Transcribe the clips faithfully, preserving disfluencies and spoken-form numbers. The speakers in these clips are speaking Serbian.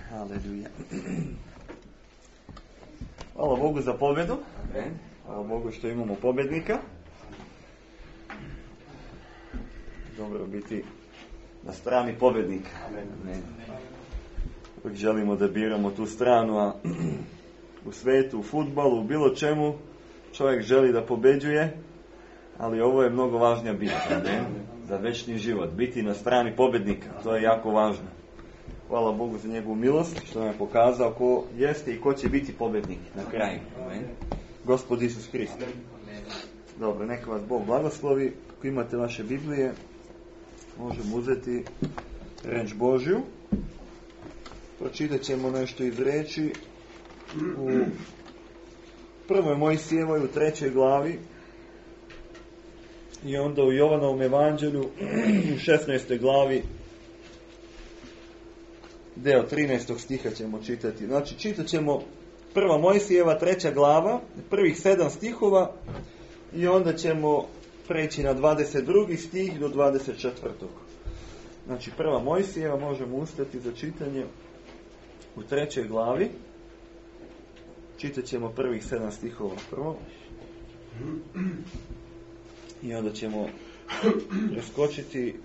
Haleluja. Hvala Bogu za pobjedu. Amen. Hvala Bogu što imamo pobjednika. Dobro biti na strani pobjednika. Amen. Amen. Uvijek želimo da biramo tu stranu, a u svetu, u fudbalu, u bilo čemu čovjek želi da pobeđuje, ali ovo je mnogo važnija bitka, ne? Za večni život. Biti na strani pobjednika, to je jako važno. Hvala Bogu za njegovu milost, što nam je pokazao ko jeste i ko će biti pobjednik na kraju. Amen. Gospod Isus Hrist. Dobro, neka vas Bog blagoslovi. Ako imate vaše Biblije, možemo uzeti reč Božju. Pročitat ćemo nešto iz reči u prvoj Mojsijevoj, u trećoj glavi, i onda u Jovanovom evanđelju u šesnaestoj glavi, deo trinaestog stiha ćemo čitati. Znači, čitat ćemo prva Mojsijeva, treća glava, prvih sedam stihova, i onda ćemo preći na dvadeset drugi stih do dvadeset četvrtog. Znači, prva Mojsijeva, možemo ustati za čitanje u trećoj glavi. Čitat ćemo prvih sedam stihova prvo. I onda ćemo preskočiti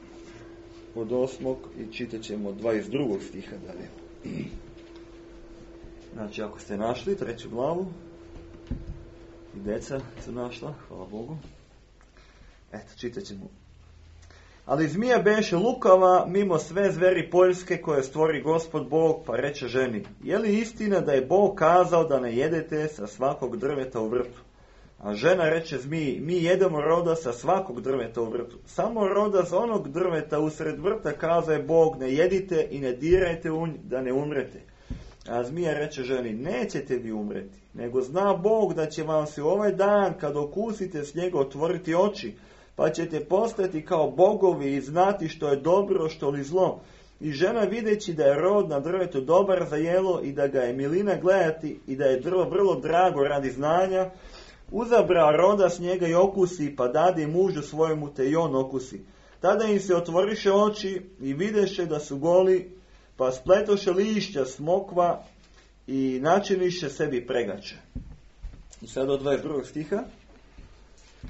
od osmog i čitat ćemo dvadeset drugog stiha dalje. Znači, ako ste našli treću glavu, i deca su našla, hvala Bogu. Eto, čitat ćemo. Ali zmija beše lukava mimo sve zveri poljske koje stvori Gospod Bog, pa reče ženi: je li istina da je Bog kazao da ne jedete sa svakog drveta u vrtu? A žena reče zmiji: mi jedemo roda sa svakog drveta u vrtu. Samo roda sa onog drveta usred vrta kazao je Bog: ne jedite i ne dirajte u nj, da ne umrete. A zmija reče ženi: nećete vi umreti, nego zna Bog da će vam se ovaj dan, kad okusite s njega, otvoriti oči, pa ćete postati kao bogovi i znati što je dobro, što li zlo. I žena, videći da je rod na drvetu dobar za jelo i da ga je milina gledati i da je drvo vrlo drago radi znanja, uzabra roda s njega i okusi, pa dade mužu svojemu, te i on okusi. Tada im se otvoriše oči i videše da su goli, pa spletoše lišća smokva i načiniše sebi pregače. I sad od dvadeset drugog stiha.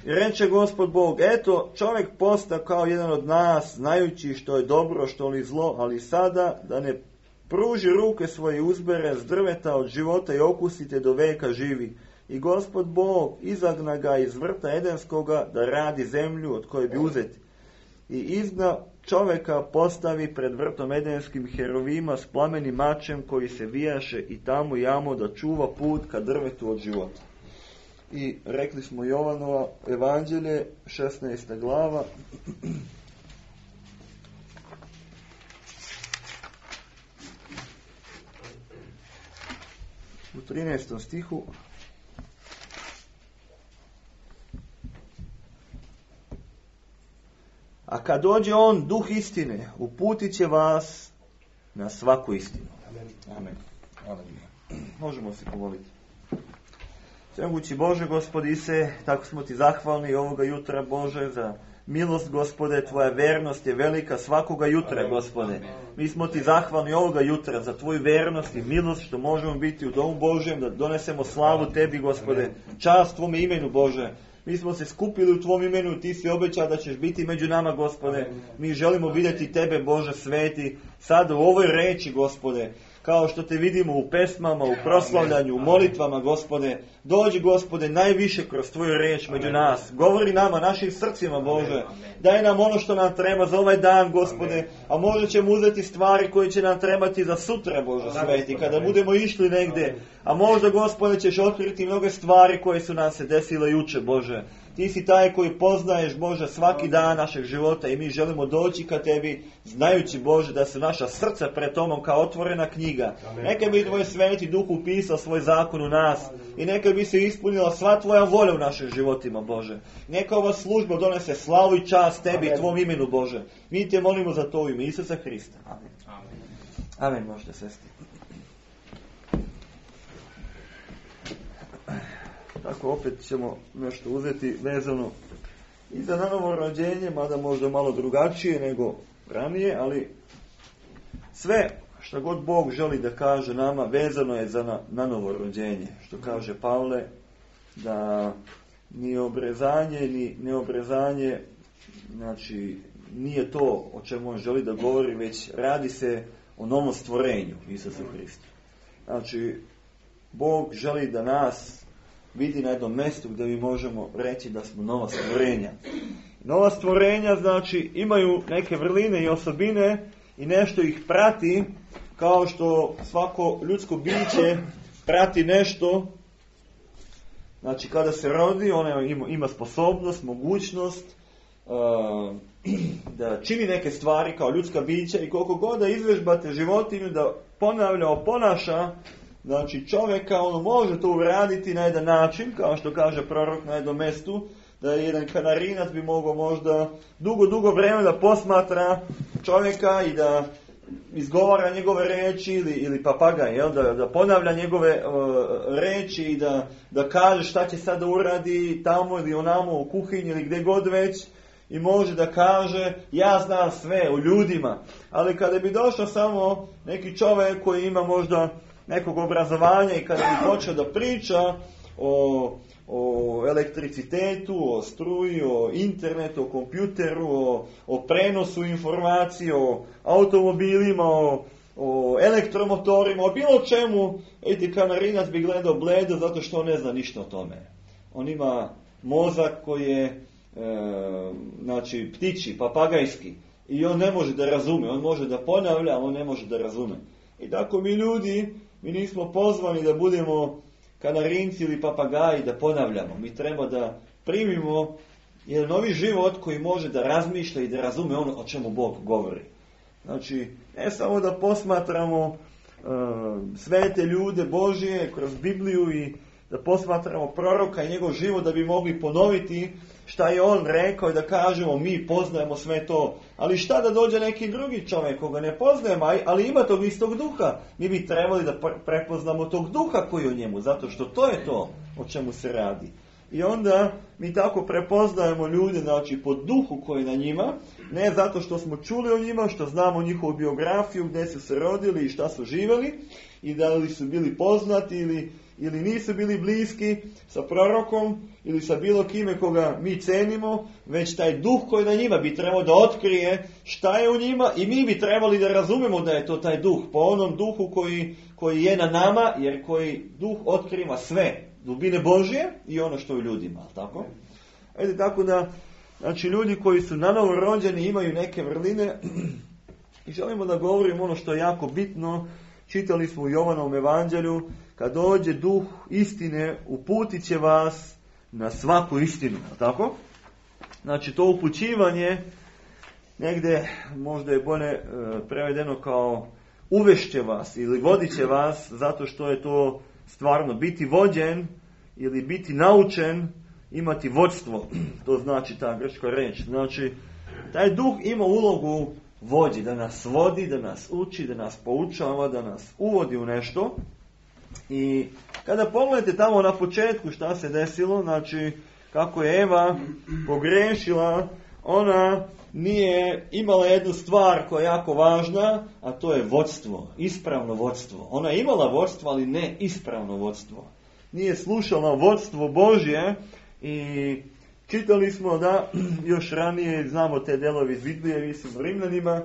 I reče Gospod Bog: eto, čovjek posta kao jedan od nas, znajući što je dobro, što li zlo, ali sada da ne pruži ruke svoje, uzbere s drveta od života i okusite do veka živi. I Gospod Bog izagna ga iz vrta Edenskoga da radi zemlju od koje bi uzeti. I izna čovjeka postavi pred vrtom Edenskim herovima s plamenim mačem koji se vijaše i tamo i amo da čuva put ka drvetu od života. I rekli smo Jovanova evanđelje, šesnaesta glava. U trinaestom stihu. A kad dođe on, duh istine, uputit će vas na svaku istinu. Amen. Amen. Amen. Možemo se pomoliti. Svemogući Bože, Gospodi Ise, tako smo ti zahvalni ovoga jutra, Bože, za milost, Gospode, tvoja vernost je velika svakoga jutra, Gospode. Mi smo ti zahvalni ovoga jutra za tvoju vernost i milost što možemo biti u domu Božjem, da donesemo slavu tebi, Gospode, čast tvome imenu, Bože. Mi smo se skupili u tvom imenu, ti si obećao da ćeš biti među nama, Gospode. Mi želimo vidjeti tebe, Bože sveti, sada u ovoj reči, Gospode, kao što te vidimo u pesmama, u proslavljanju, u molitvama, Gospode. Dođi, Gospode, najviše kroz tvoju reč među nas. Govori nama, našim srcima, Bože. Daj nam ono što nam treba za ovaj dan, Gospode. A možda ćemo uzeti stvari koje će nam trebati za sutra, Bože sveti, kada budemo išli negdje. A možda, Gospode, ćeš otkriti mnoge stvari koje su nam se desile juče, Bože. Ti si taj koji poznaješ, Bože, svaki dan našeg života i mi želimo doći ka tebi, znajući, Bože, da su naša srca pred Tobom kao otvorena knjiga. Neka bi tvoj sveti duh upisao svoj zakon u nas i neka bi se ispunila sva tvoja volja u našim životima, Bože. Neka ova služba donese slavu i čast tebi i tvom imenu, Bože. Mi te molimo za to u ime Isusa Hrista. Amen. Amen, možete sesti. Tako opet ćemo nešto uzeti vezano i za nanovo rođenje, mada možda malo drugačije nego ranije, ali sve što god Bog želi da kaže nama vezano je za na, nanovo rođenje. Što kaže Pavle, da ni obrezanje, ni neobrezanje, znači nije to o čemu on želi da govori, već radi se o novom stvorenju Isusu Hristu. Znači, Bog želi da nas vidi na jednom mjestu gdje mi možemo reći da smo nova stvorenja. Nova stvorenja, znači, imaju neke vrline i osobine i nešto ih prati, kao što svako ljudsko biće prati nešto. Znači, kada se rodi, ona ima, ima sposobnost, mogućnost uh, da čini neke stvari kao ljudska bića i koliko god da izvežbate životinju da ponavlja, oponaša, znači čovjeka, ono može to uraditi na jedan način, kao što kaže prorok na jednom mjestu, da jedan kanarinac bi mogao možda dugo, dugo vremena da posmatra čovjeka i da izgovara njegove reči, ili, ili papagaj, jel? Da, da ponavlja njegove uh, reči i da, da kaže šta će sada uradi tamo ili onamo u kuhinji ili gdje god već, i može da kaže ja znam sve o ljudima. Ali kada bi došao samo neki čovjek koji ima možda nekog obrazovanja i kada bi počeo da priča o, o elektricitetu, o struji, o internetu, o kompjuteru, o, o prenosu informacije, o automobilima, o, o elektromotorima, o bilo čemu, eti kanarinac bi gledao bledo zato što on ne zna ništa o tome. On ima mozak koji je e, znači ptiči, papagajski, i on ne može da razume, on može da ponavlja, on ne može da razume. I tako mi ljudi, mi nismo pozvani da budemo kanarinci ili papagaji da ponavljamo. Mi treba da primimo jedan novi život koji može da razmišlja i da razume ono o čemu Bog govori. Znači, ne samo da posmatramo uh, svete ljude Božije kroz Bibliju i da posmatramo proroka i njegov život da bi mogli ponoviti šta je on rekao i da kažemo mi poznajemo sve to. Ali šta da dođe neki drugi čovjek koga ne poznajemo, ali ima tog istog duha. Mi bi trebali da prepoznamo tog duha koji je u njemu, zato što to je to o čemu se radi. I onda mi tako prepoznajemo ljude, znači po duhu koji je na njima, ne zato što smo čuli o njima, što znamo njihovu biografiju, gdje su se rodili i šta su živjeli, i da li su bili poznati ili ili nisu bili bliski sa prorokom ili sa bilo kime koga mi cenimo, već taj duh koji na njima bi trebao da otkrije šta je u njima i mi bi trebali da razumemo da je to taj duh, po onom duhu koji, koji je na nama, jer koji duh otkriva sve dubine Božje i ono što je u ljudima, tako? Ajde, tako da, znači ljudi koji su nanovo rođeni imaju neke vrline i želimo da govorimo ono što je jako bitno. Čitali smo u Jovanovom evanđelju, kad dođe duh istine, uputit će vas na svaku istinu, tako? Znači to upućivanje, negdje možda je bolje e, prevedeno kao uvešće vas ili vodit će vas, zato što je to stvarno biti vođen ili biti naučen, imati vodstvo, to znači ta grčka reč. Znači, taj duh ima ulogu vođi, da nas vodi, da nas uči, da nas poučava, da nas uvodi u nešto. I kada pogledate tamo na početku šta se desilo, znači kako je Eva pogrešila, ona nije imala jednu stvar koja je jako važna, a to je vodstvo, ispravno vodstvo. Ona je imala vodstvo, ali ne ispravno vodstvo. Nije slušala vodstvo Božje i čitali smo da još ranije, znamo te delovi iz Biblije, mislim u Rimljanima,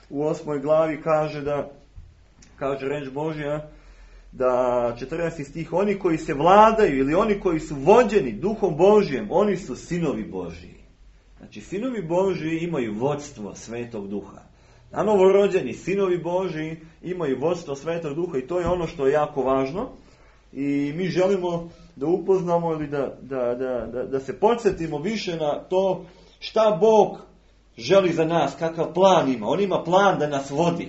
u osmoj glavi kaže da, kaže reč Božja, da četrnaesti stih, oni koji se vladaju ili oni koji su vođeni duhom Božjem, oni su sinovi Božji. Znači, sinovi Božji imaju vodstvo Svetog Duha. A novorođeni sinovi Božji imaju vodstvo Svetog Duha i to je ono što je jako važno. I mi želimo da upoznamo ili da, da, da, da, da se podsjetimo više na to šta Bog želi za nas, kakav plan ima. On ima plan da nas vodi.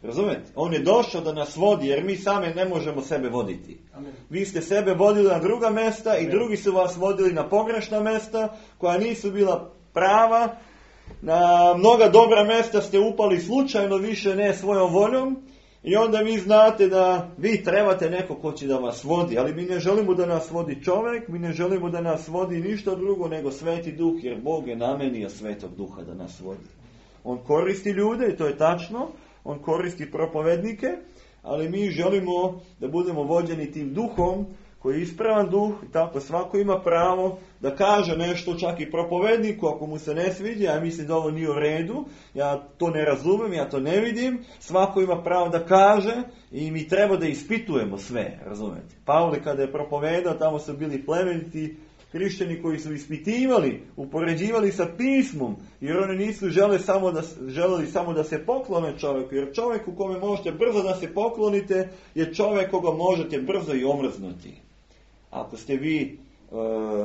Razumete? On je došao da nas vodi, jer mi same ne možemo sebe voditi. Amen. Vi ste sebe vodili na druga mesta i Amen. Drugi su vas vodili na pogrešna mesta, koja nisu bila prava. Na mnoga dobra mesta ste upali slučajno, više ne svojom voljom. I onda vi znate da vi trebate neko ko će da vas vodi. Ali mi ne želimo da nas vodi čovjek, mi ne želimo da nas vodi ništa drugo nego Sveti Duh, jer Bog je namenio Svetog Duha da nas vodi. On koristi ljude i to je tačno. On koristi propovednike, ali mi želimo da budemo vođeni tim duhom, koji je ispravan duh, i tako svako ima pravo da kaže nešto, čak i propovedniku, ako mu se ne sviđa, ja mislim da ovo nije u redu, ja to ne razumem, ja to ne vidim, svako ima pravo da kaže i mi treba da ispitujemo sve, razumete. Pavle kada je propovedao, tamo su bili plemeniti hrišćani koji su ispitivali, upoređivali sa pismom, jer oni nisu žele samo da, želeli samo da se poklone čovjeku, jer čovjek u kome možete brzo da se poklonite je čovjek koga možete brzo i omrznuti. Ako ste vi e,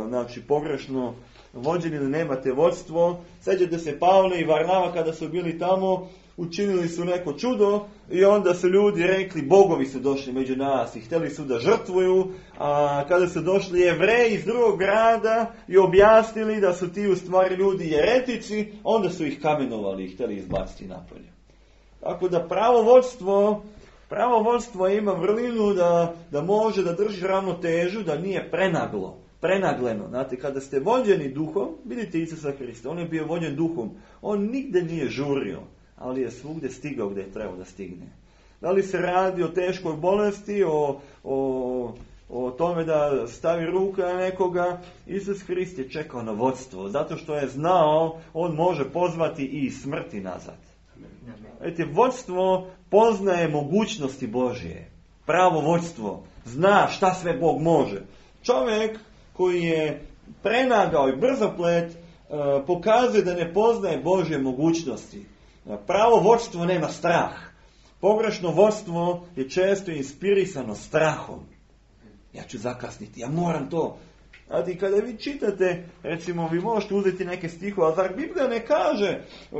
znači pogrešno vođeni ili nemate vodstvo, sjećate se Pavle i Varnava kada su bili tamo, učinili su neko čudo i onda su ljudi rekli, bogovi su došli među nas i htjeli su da žrtvuju, a kada su došli Jevreji iz drugog grada i objasnili da su ti u stvari ljudi jeretici, onda su ih kamenovali i htjeli izbaciti napolje. Tako da pravo vodstvo, pravo vodstvo ima vrlinu da, da može da drži ravnotežu, da nije prenaglo, prenagleno. Znate, kada ste vođeni duhom, vidite Isusa Hrista, on je bio vođen duhom, on nigde nije žurio, ali je svugdje stigao gdje je trebao da stigne. Da li se radi o teškoj bolesti, o, o, o tome da stavi ruka na nekoga, Isus Hrist je čekao na vodstvo, zato što je znao, on može pozvati i smrti nazad. Vidite, vodstvo poznaje mogućnosti Božje. Pravo vodstvo zna šta sve Bog može. Čovjek koji je prenagao i brzoplet pokazuje da ne poznaje Božje mogućnosti. Pravo vodstvo nema strah. Pogrešno vodstvo je često inspirisano strahom. Ja ću zakasniti, ja moram to. Znate, kada vi čitate, recimo, vi možete uzeti neke stihove, ali zar Biblija ne kaže uh,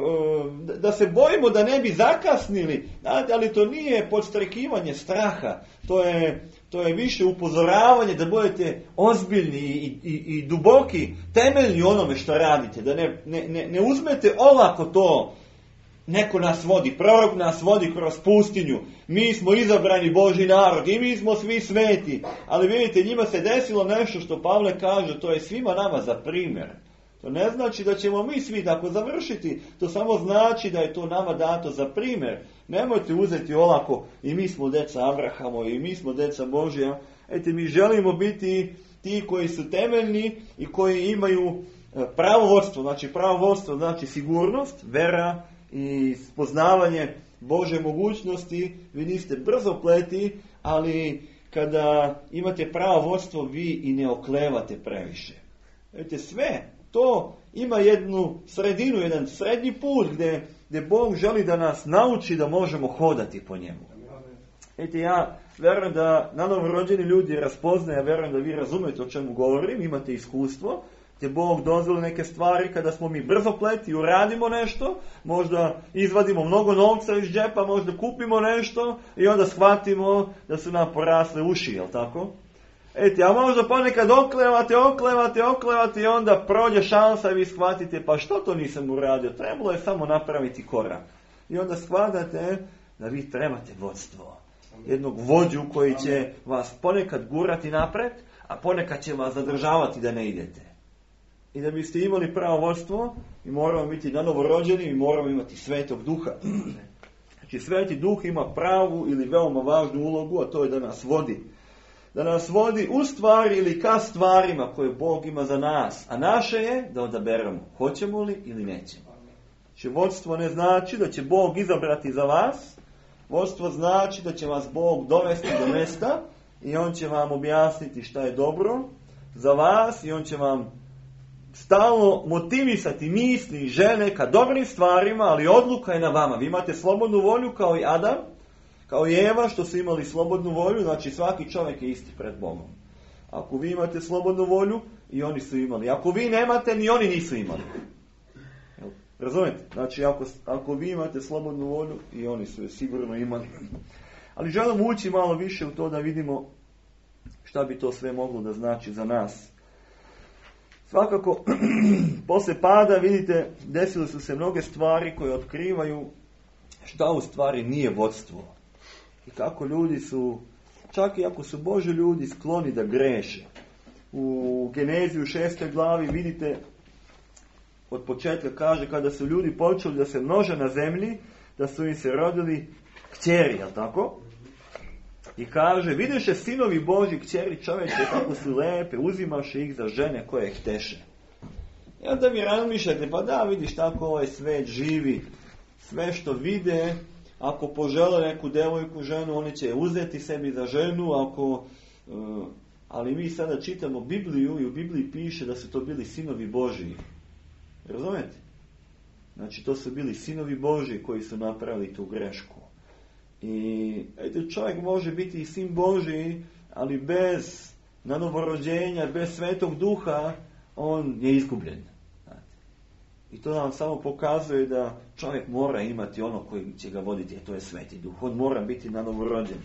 da se bojimo da ne bi zakasnili? Znate, ali to nije podstrekivanje straha. To je, to je više upozoravanje da budete ozbiljni i, i, i duboki, temeljni onome što radite. Da ne, ne, ne, ne uzmete olako to. Neko nas vodi, prorok nas vodi kroz pustinju. Mi smo izabrani Božji narod i mi smo svi sveti. Ali vidite, njima se desilo nešto što Pavle kaže, to je svima nama za primjer. To ne znači da ćemo mi svi tako završiti. To samo znači da je to nama dato za primjer. Nemojte uzeti olako i mi smo deca Abrahamo i mi smo deca Božja. Ete, mi želimo biti ti koji su temeljni i koji imaju pravo vodstvo. Znači pravo vodstvo znači sigurnost, vera i spoznavanje Božje mogućnosti. Vi niste brzo pleti, ali kada imate pravo vodstvo, vi i ne oklevate previše. Vidite, sve to ima jednu sredinu, jedan srednji put gdje, gdje Bog želi da nas nauči da možemo hodati po njemu. Vidite, ja vjerujem da novorođeni ljudi raspoznaju, ja vjerujem da vi razumijete o čemu govorim, imate iskustvo, gdje Bog dozvoli neke stvari kada smo mi brzo pleti, uradimo nešto, možda izvadimo mnogo novca iz džepa, možda kupimo nešto i onda shvatimo da su nam porasle uši, jel tako? Eti, a možda ponekad oklevate, oklevate, oklevate i onda prođe šansa i vi shvatite, pa što to nisam uradio, trebalo je samo napraviti korak. I onda shvatate da vi trebate vodstvo. Jednog vođu koji će vas ponekad gurati napred, a ponekad će vas zadržavati da ne idete. I da biste imali pravo vodstvo, mi moramo biti nanovo rođeni i moramo imati Svetog Duha. Znači Sveti Duh ima pravu ili veoma važnu ulogu, a to je da nas vodi. Da nas vodi u stvari ili ka stvarima koje Bog ima za nas. A naše je da odaberemo hoćemo li ili nećemo. Znači vodstvo ne znači da će Bog izabrati za vas. Vodstvo znači da će vas Bog dovesti do mesta i On će vam objasniti šta je dobro za vas i On će vam stalno motivisati misli i želje ka dobrim stvarima, ali odluka je na vama. Vi imate slobodnu volju kao i Adam, kao i Eva što su imali slobodnu volju, znači svaki čovjek je isti pred Bogom. Ako vi imate slobodnu volju, i oni su imali. Ako vi nemate, ni oni nisu imali. Razumijete? Znači ako, ako vi imate slobodnu volju, i oni su je sigurno imali. Ali želim ući malo više u to da vidimo šta bi to sve moglo da znači za nas. Svakako, posle pada, vidite, desile su se mnoge stvari koje otkrivaju šta u stvari nije vodstvo. I kako ljudi su, čak i ako su Boži ljudi, skloni da greše. U Genezi u šestoj glavi vidite, od početka kaže, kada su ljudi počeli da se množe na zemlji, da su im se rodili kćeri, jel tako? I kaže, vidiše sinovi Božji kćeri čoveče kako su lepe, uzimaše ih za žene koje hteše. I onda vi razmišljate, pa da, vidiš tako ovaj svet živi, sve što vide, ako požele neku devojku, ženu, oni će uzeti sebi za ženu, ako, uh, ali mi sada čitamo Bibliju i u Bibliji piše da su to bili sinovi Božji. Razumete? Znači, to su bili sinovi Božji koji su napravili tu grešku. I ejte, čovjek može biti i sin Božji, ali bez nanovorođenja, bez Svetog Duha, on je izgubljen. Znate. I to nam samo pokazuje da čovjek mora imati ono koji će ga voditi, a to je Sveti Duh. On mora biti nanovorođen.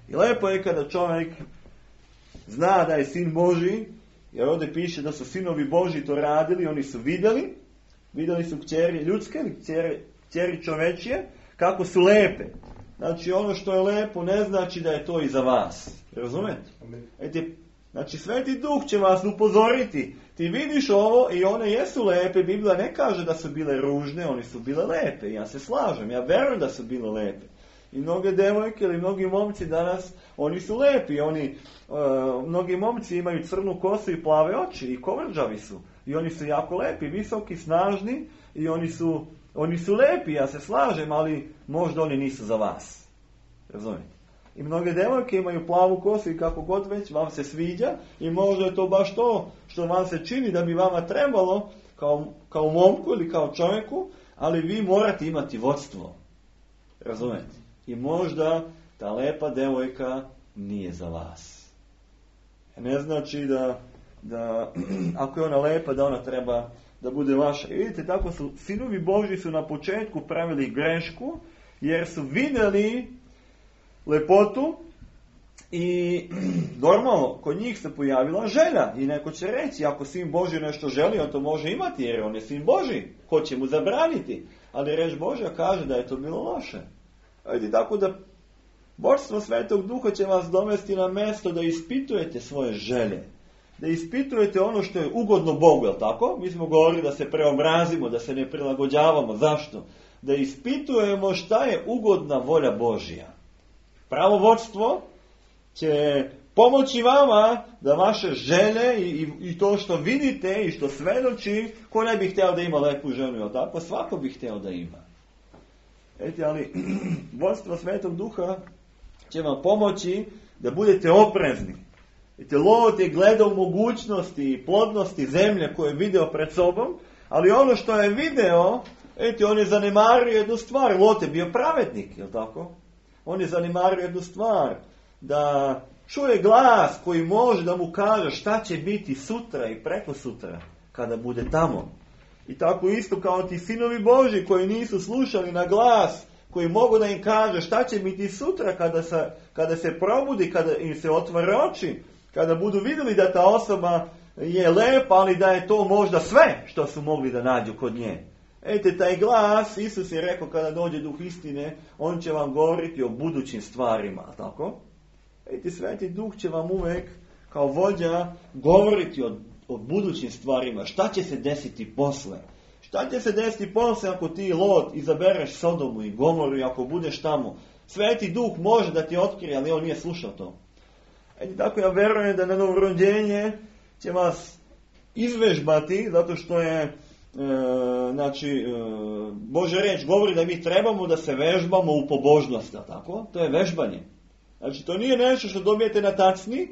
I lepo je kada čovjek zna da je sin Božji, jer ovdje piše da su sinovi Božji to radili, oni su vidjeli, vidjeli su kćeri ljudske, kćeri, kćeri čovečije, kako su lepe. Znači, ono što je lepo ne znači da je to i za vas. Razumete? Eti, znači, Sveti Duh će vas upozoriti. Ti vidiš ovo i one jesu lepe. Biblija ne kaže da su bile ružne, one su bile lepe. Ja se slažem, ja verujem da su bile lepe. I mnoge devojke ili mnogi momci danas, oni su lepi. Oni, uh, mnogi momci imaju crnu kosu i plave oči i kovrđavi su. I oni su jako lepi, visoki, snažni i oni su... Oni su lepi, ja se slažem, ali možda oni nisu za vas. Razumijete? I mnoge devojke imaju plavu kosu i kako god već vam se sviđa i možda je to baš to što vam se čini da bi vama trebalo kao, kao momku ili kao čovjeku, ali vi morate imati vodstvo. Razumijete? I možda ta lepa devojka nije za vas. Ne znači da, da ako je ona lepa da ona treba da bude vaša. I vidite, tako su sinovi Božji su na početku pravili grešku, jer su vidjeli lepotu i normalno, kod njih se pojavila želja. I neko će reći, ako sin Božji nešto želi, on to može imati, jer on je sin Božji. Ko će mu zabraniti? Ali reč Božja kaže da je to bilo loše. Vidite, tako da vodstvo Svetog Duha će vas dovesti na mjesto da ispitujete svoje želje. Da ispitujete ono što je ugodno Bogu, jel tako? Mi smo govorili da se preobrazimo, da se ne prilagođavamo. Zašto? Da ispitujemo šta je ugodna volja Božja. Pravo vodstvo će pomoći vama da vaše želje i, i, i to što vidite i što svedoči, ko ne bi htio da ima lepu ženu, jel tako? Svako bi htio da ima. Eti, ali vodstvo Svetog Duha će vam pomoći da budete oprezni. Vidite, Lot je gledao mogućnosti i plodnosti zemlje koje je video pred sobom, ali ono što je video, eti, on je zanemario jednu stvar. Lot je bio pravednik, jel tako? On je zanemario jednu stvar, da čuje glas koji može da mu kaže šta će biti sutra i preko sutra, kada bude tamo. I tako isto kao ti sinovi Božji koji nisu slušali na glas, koji mogu da im kaže šta će biti sutra kada se, kada se probudi, kada im se otvore oči, kada budu vidjeli da ta osoba je lepa, ali da je to možda sve što su mogli da nađu kod nje. Ejte, taj glas, Isus je rekao kada dođe duh istine, on će vam govoriti o budućim stvarima, tako? Ejte, Sveti Duh će vam uvek kao vođa govoriti o, o budućim stvarima. Šta će se desiti posle? Šta će se desiti posle ako ti, Lot, izabereš Sodomu i Gomoru i ako budeš tamo? Sveti Duh može da ti otkrije, ali on nije slušao to. Ejte, tako ja verujem da na novorođenje će vas izvežbati, zato što je e, znači, e, Božja reč govori da mi trebamo da se vežbamo u pobožnosti, tako? To je vežbanje. Znači, to nije nešto što dobijete na tacni.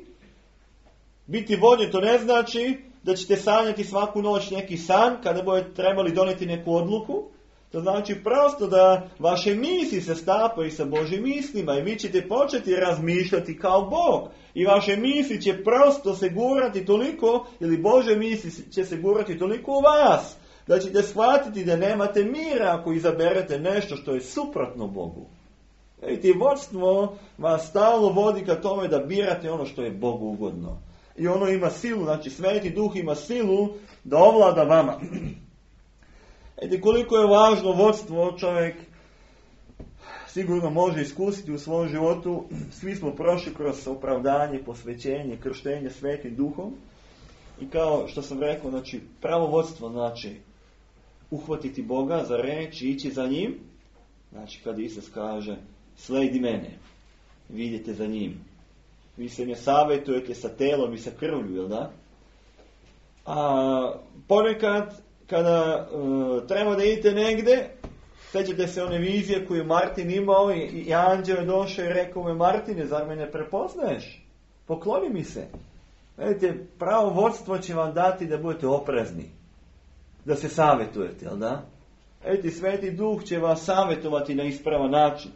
Biti vođen to ne znači da ćete sanjati svaku noć neki san kada budete trebali doneti neku odluku. To znači prosto da vaše misli se stapaju sa Božjim mislima i vi ćete početi razmišljati kao Bog. I vaše misli će prosto se gurati toliko, ili Božje misli će se gurati toliko u vas, da ćete shvatiti da nemate mira ako izaberete nešto što je suprotno Bogu. I vodstvo vas stalno vodi ka tome da birate ono što je Bogu ugodno. I ono ima silu, znači Sveti Duh ima silu da ovlada vama. Eti koliko je važno vodstvo, čovjek sigurno može iskusiti u svom životu. Svi smo prošli kroz opravdanje, posvećenje, krštenje Svetim Duhom. I kao što sam rekao, znači pravo vodstvo znači uhvatiti Boga za reč i ići za njim. Znači kad Isus kaže sledi mene, vi idete za njim. Vi se ne savjetujete sa telom i sa krvlju, jel da? A ponekad kada uh, treba da idete negde, sećate se one vizije koju Martin imao i, i anđeo je došao i rekao mu, Martine, zar me ne prepoznaješ? Pokloni mi se. Vidite, pravo vodstvo će vam dati da budete oprezni. Da se savjetujete, jel da? Vidite, Sveti Duh će vas savjetovati na ispravan način.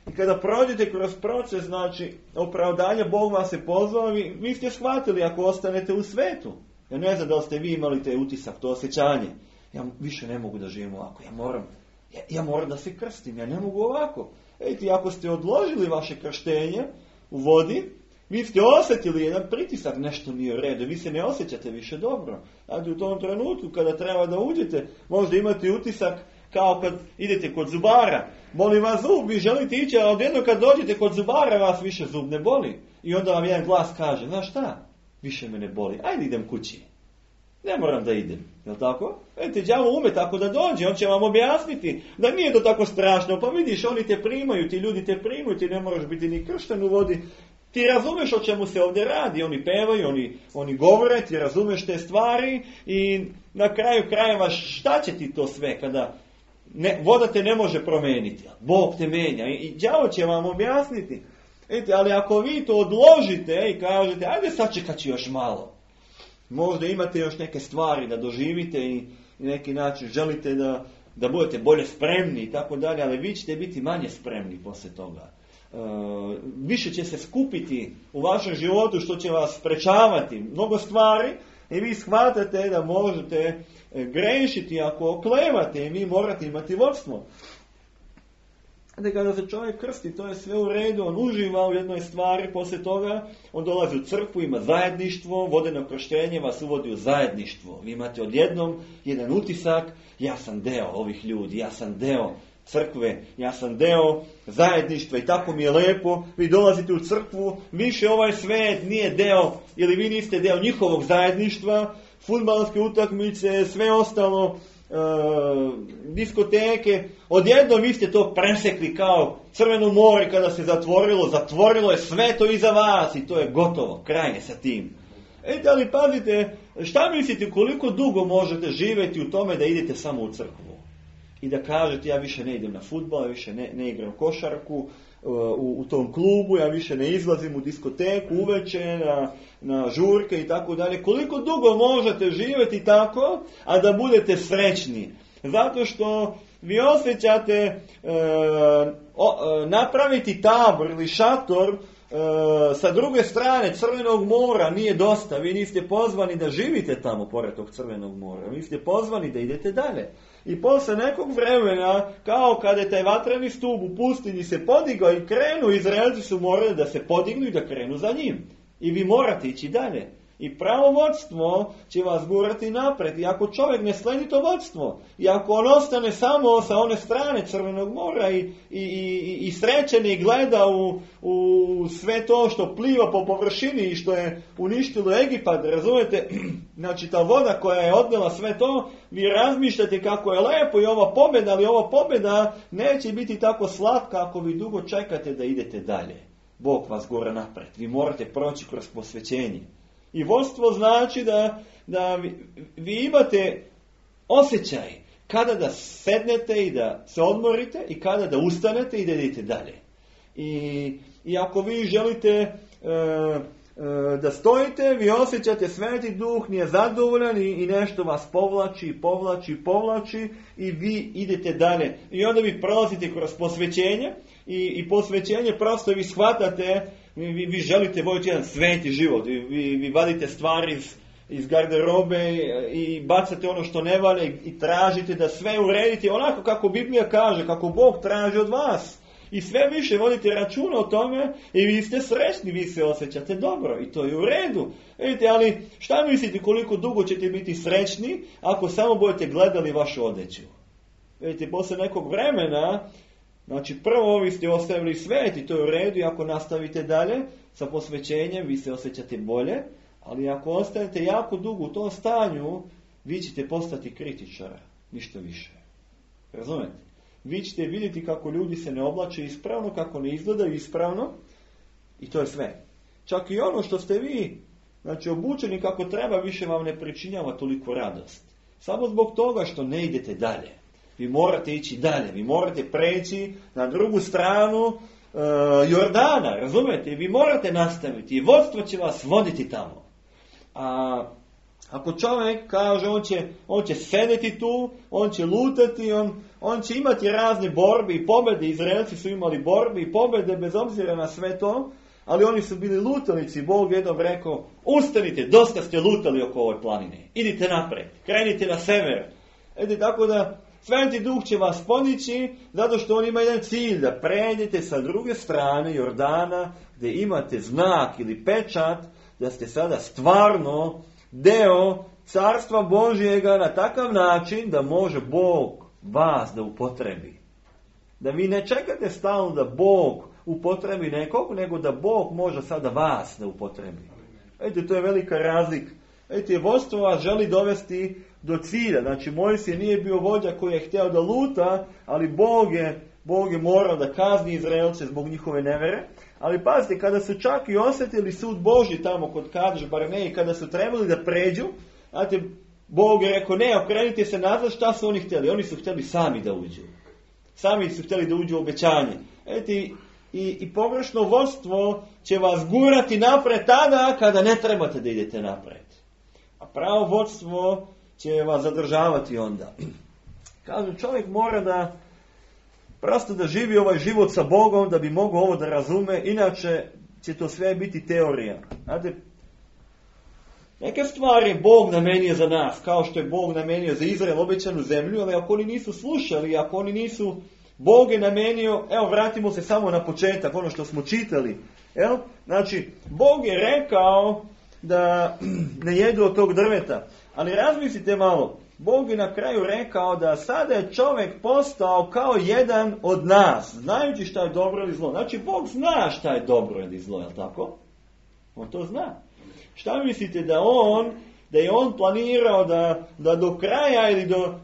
I kada prođete kroz proces, znači, opravdanja, Bog vas se pozvao, vi, vi ste shvatili ako ostanete u svetu. Ja ne znam da li ste vi imali taj utisak, to osjećanje. Ja više ne mogu da živim ovako, ja moram, ja, ja moram da se krstim, ja ne mogu ovako. Ejte, ako ste odložili vaše krštenje u vodi, vi ste osjetili jedan pritisak, nešto nije u redu, vi se ne osjećate više dobro. Znači u tom trenutku kada treba da uđete, možda imate utisak kao kad idete kod zubara. Boli vas zub, vi želite ići, a odjedno kad dođete kod zubara vas više zub ne boli. I onda vam jedan glas kaže, znaš šta, više me ne boli, ajde idem kući. Ne moram da idem, jel tako? Vidite, đavo ume tako da dođe, on će vam objasniti da nije to tako strašno, pa vidiš, oni te primaju, ti ljudi te primaju, ti ne moraš biti ni kršten u vodi. Ti razumeš o čemu se ovdje radi, oni pevaju, oni, oni govore, ti razumeš te stvari i na kraju krajeva šta će ti to sve kada ne, voda te ne može promijeniti, Bog te menja i, i đavo će vam objasniti. Vidite, ali ako vi to odložite i kažete, ajde sačekat ću još malo, možda imate još neke stvari da doživite i, i neki način želite da, da budete bolje spremni i tako dalje, ali vi ćete biti manje spremni poslije toga. Uh, više će se skupiti u vašem životu što će vas sprečavati mnogo stvari i vi shvatate da možete grešiti ako oklevate i vi morate imati vodstvo. Da kada se čovjek krsti, to je sve u redu, on uživa u jednoj stvari, poslije toga on dolazi u crkvu, ima zajedništvo, vodeno krštenje vas uvodi u zajedništvo. Vi imate odjednom jedan utisak, ja sam deo ovih ljudi, ja sam deo crkve, ja sam deo zajedništva i tako mi je lepo, vi dolazite u crkvu, više ovaj svijet nije deo, ili vi niste deo njihovog zajedništva, fudbalske utakmice, sve ostalo, e, diskoteke, odjednom vi ste to presekli kao Crveno more kada se zatvorilo, zatvorilo je sve to iza vas i to je gotovo, kraj je sa tim. E, da li pazite, šta mislite koliko dugo možete živjeti u tome da idete samo u crkvu? I da kažete, ja više ne idem na fudbal, ja više ne, ne igram košarku uh, u, u tom klubu, ja više ne izlazim u diskoteku uveče, na, na žurke i tako dalje. Koliko dugo možete živjeti tako, a da budete srećni? Zato što vi osjećate uh, o, uh, napraviti tabor ili šator uh, sa druge strane Crvenog mora nije dosta. Vi niste pozvani da živite tamo pored tog Crvenog mora. Vi ste pozvani da idete dalje. I posle nekog vremena, kao kada je taj vatreni stup u pustinji se podigao i krenu, Izraelci su morali da se podignu i da krenu za njim. I vi morate ići dalje. I pravo vodstvo će vas gurati napred. I ako čovjek ne sledi to vodstvo, i ako on ostane samo sa one strane Crvenog mora i, i, i, i srećen i gleda u, u sve to što pliva po površini i što je uništilo Egipat, razumijete? Znači ta voda koja je odnela sve to, vi razmišljate kako je lepo i ova pobjeda, ali ova pobjeda neće biti tako slatka ako vi dugo čekate da idete dalje. Bog vas gura napred. Vi morate proći kroz posvećenje. I vodstvo znači da, da vi, vi imate osjećaj kada da sednete i da se odmorite i kada da ustanete i da idete dalje. I, i ako vi želite e, e, da stojite, vi osjećate Sveti Duh nije zadovoljan i, i nešto vas povlači, povlači, povlači i vi idete dalje. I onda vi prolazite kroz posvećenje i, i posvećenje prosto vi shvatate. Vi, vi želite voditi jedan sveti život, vi, vi, vi vadite stvari iz, iz garderobe i, i bacate ono što ne valja i, i tražite da sve uredite onako kako Biblija kaže, kako Bog traži od vas. I sve više vodite računa o tome i vi ste srećni, vi se osjećate dobro i to je u redu. Vidite, ali šta mislite koliko dugo ćete biti srećni ako samo budete gledali vašu odeću? Vidite, posle nekog vremena, znači prvo vi ste ostavili svet i to je u redu i ako nastavite dalje sa posvećenjem vi se osjećate bolje, ali ako ostanete jako dugo u tom stanju vi ćete postati kritičar, ništa više. Razumete? Vi ćete vidjeti kako ljudi se ne oblače ispravno, kako ne izgledaju ispravno i to je sve. Čak i ono što ste vi, znači obučeni kako treba, više vam ne pričinjava toliko radost. Samo zbog toga što ne idete dalje. Vi morate ići dalje, vi morate preći na drugu stranu uh, Jordana, razumijete? Vi morate nastaviti i vodstvo će vas voditi tamo. A ako čovjek kaže on će, on će sedeti tu, on će lutati, on, on će imati razne borbe i pobjede, Izraelci su imali borbe i pobjede bez obzira na sve to, ali oni su bili lutalici. Bog jednom rekao, ustanite, dosta ste lutali oko ove planine, idite napred, krenite na sever. Edi, tako da Sveti Duh će vas podići zato što on ima jedan cilj, da pređete sa druge strane Jordana gdje imate znak ili pečat da ste sada stvarno deo Carstva Božjega na takav način da može Bog vas da upotrebi. Da vi ne čekate stalno da Bog upotrebi nekog, nego da Bog može sada vas da upotrebi. Vidite, to je velika razlika. Vidite, vodstvo vas želi dovesti do cilja. Znači, Mojsije nije bio vođa koji je htio da luta, ali Bog je, Bog je morao da kazni Izraelce zbog njihove nevere. Ali pazite, kada su čak i osjetili sud Božji tamo kod Kadeš Barneji, kada su trebali da pređu, znate, Bog je rekao, ne, okrenite se nazad, šta su oni htjeli? Oni su htjeli sami da uđu. Sami su htjeli da uđu u obećanje. Vidite, i, i pogrešno vodstvo će vas gurati napred tada kada ne trebate da idete napred. A pravo vodstvo će vas zadržavati onda. Kažu, čovjek mora da prosto da živi ovaj život sa Bogom, da bi mogao ovo da razume, inače će to sve biti teorija. Znate, neke stvari Bog namenio za nas, kao što je Bog namenio za Izrael obećanu zemlju, ali ako oni nisu slušali, ako oni nisu, Bog je namenio, evo vratimo se samo na početak, ono što smo čitali. Jel? Znači, Bog je rekao da ne jedu od tog drveta, ali razmislite malo, Bog je na kraju rekao da sada je čovjek postao kao jedan od nas, znajući šta je dobro ili zlo. Znači, Bog zna šta je dobro ili zlo, je li tako? On to zna. Šta mislite da on, da je on planirao da, da do kraja ili do,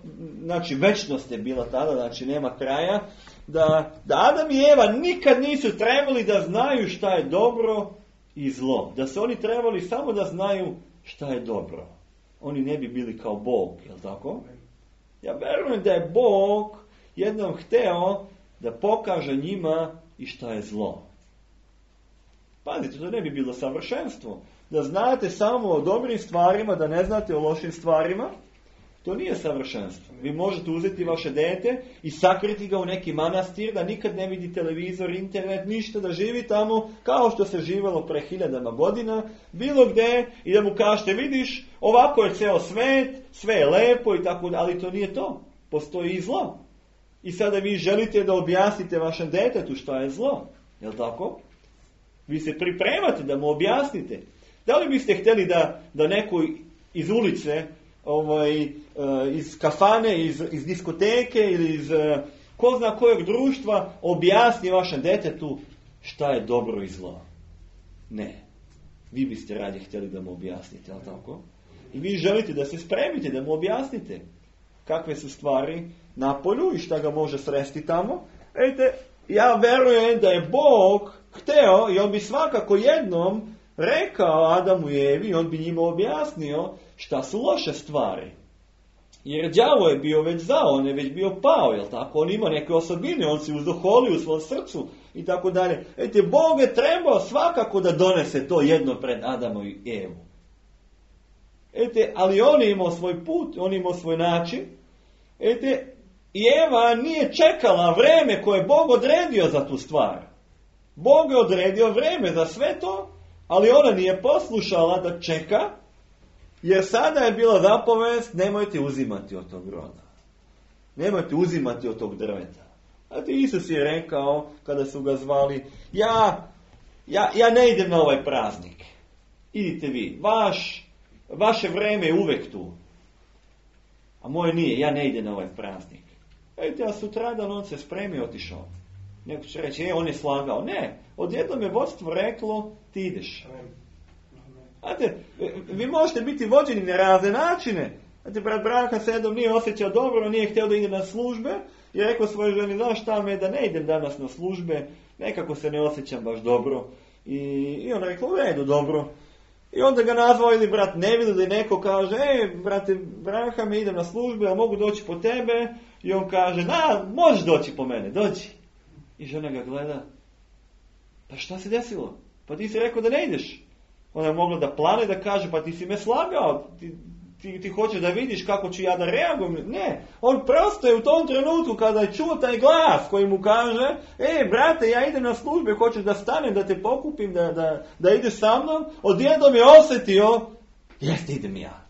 znači večnost je bila tada, znači nema kraja, da, da Adam i Eva nikad nisu trebali da znaju šta je dobro i zlo. Da su oni trebali samo da znaju šta je dobro. Oni ne bi bili kao Bog, je li tako? Ja verujem da je Bog jednom hteo da pokaže njima i šta je zlo. Pazite, to ne bi bilo savršenstvo. Da znate samo o dobrim stvarima, da ne znate o lošim stvarima, to nije savršenstvo. Vi možete uzeti vaše dete i sakriti ga u neki manastir, da nikad ne vidi televizor, internet, ništa, da živi tamo kao što se živelo pre hiljadama godina, bilo gde, i da mu kažete, vidiš, ovako je ceo svet, sve je lepo i tako, ali to nije to. Postoji i zlo. I sada vi želite da objasnite vašem detetu šta je zlo. Je li tako? Vi se pripremate da mu objasnite. Da li biste htjeli da, da neko iz ulice, ovaj, iz kafane, iz, iz diskoteke ili iz ko zna kojeg društva objasni vašem detetu šta je dobro i zlo? Ne. Vi biste radije htjeli da mu objasnite, ali tako? I vi želite da se spremite, da mu objasnite kakve su stvari na polju i šta ga može sresti tamo. Vidite, ja verujem da je Bog hteo i on bi svakako jednom rekao Adamu i Evi, on bi njima objasnio šta su loše stvari. Jer đavo je bio već zao, on je već bio pao, jel tako? On ima neke osobine, on se uzdoholi u svom srcu i tako dalje. Vidite, Bog je trebao svakako da donese to jedno pred Adamu i Evu. Vidite, ali on je imao svoj put, on je imao svoj način. Vidite, i Eva nije čekala vreme koje je Bog odredio za tu stvar. Bog je odredio vreme za sve to, ali ona nije poslušala da čeka, jer sada je bila zapovest, nemojte uzimati od tog roda. Nemojte uzimati od tog drveta. Znate, Isus je rekao, kada su ga zvali, ja, ja, ja ne idem na ovaj praznik. Idite vi. Vaš, vaše vreme je uvek tu. A moje nije, ja ne idem na ovaj praznik. Vidite, a sutradan on se spremio, otišao. Neko će reći, e, on je slagao. Ne, odjednom je vodstvo reklo, ti ideš. Znate, vi možete biti vođeni na razne načine. Znate, brat Branka se jednom nije osjećao dobro, nije htio da ide na službe i rekao svojoj ženi, znaš šta me, da ne idem danas na službe, nekako se ne osjećam baš dobro. I, i on rekao, u redu, dobro. I onda ga nazvao ili brat Neville, da neko kaže, e, brate Branka, me idem na službe, a mogu doći po tebe? I on kaže, na, možeš doći po mene, dođi. I žena ga gleda, pa šta se desilo? Pa ti si rekao da ne ideš. Ona je mogla da plane, da kaže, pa ti si me slagao, ti, ti, ti hoćeš da vidiš kako ću ja da reagujem. Ne, on prosto je u tom trenutku kada je čuo taj glas koji mu kaže, e, brate, ja idem na službe, hoćeš da stanem, da te pokupim, da, da, da ideš sa mnom, odjednom je osjetio, jeste, idem ja.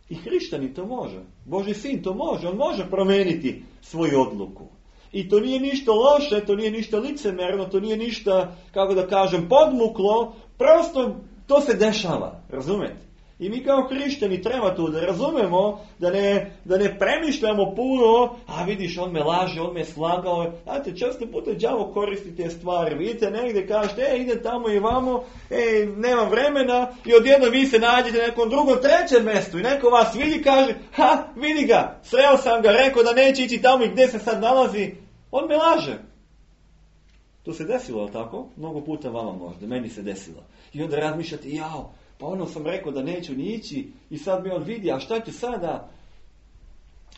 I hrišćanin to može, Božji sin to može, on može promeniti svoju odluku. I to nije ništa loše, to nije ništa licemerno, to nije ništa, kako da kažem, podmuklo, prosto to se dešava, razumete? I mi kao hrišćani treba to da razumemo, da ne, da ne premišljamo puno, a vidiš, on me laže, on me slagao. Znate, često puta đavo koristi te stvari. Vidite, negdje kažete, e, idem tamo i vamo, e, nemam vremena, i odjedno vi se nađete na nekom drugom, trećem mjestu i neko vas vidi, kaže, ha, vidi ga, sreo sam ga, rekao da neće ići tamo i gdje se sad nalazi, on me laže. To se desilo, ali tako? Mnogo puta vama možda, meni se desilo. I onda razmišljate, jao, pa ono sam rekao da neću ni ići i sad mi on vidi, a šta ću sada?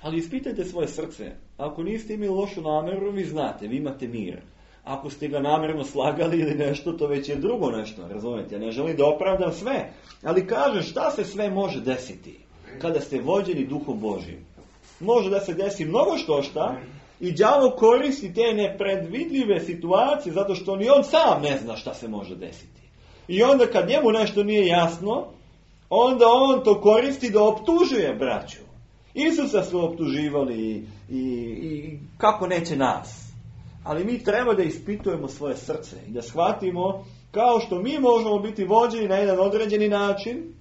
Ali ispitajte svoje srce. Ako niste imali lošu namjeru, vi znate, vi imate mir. Ako ste ga namjerno slagali ili nešto, to već je drugo nešto, razumijete? Ja ne želim da opravdam sve, ali kažem šta se sve može desiti kada ste vođeni Duhom Božjim. Može da se desi mnogo što šta i đavo koristi te nepredvidljive situacije zato što ni on sam ne zna šta se može desiti. I onda kad njemu nešto nije jasno, onda on to koristi da optužuje braću. Isusa su optuživali i, i, i kako neće nas. Ali mi treba da ispitujemo svoje srce i da shvatimo kao što mi možemo biti vođeni na jedan određeni način,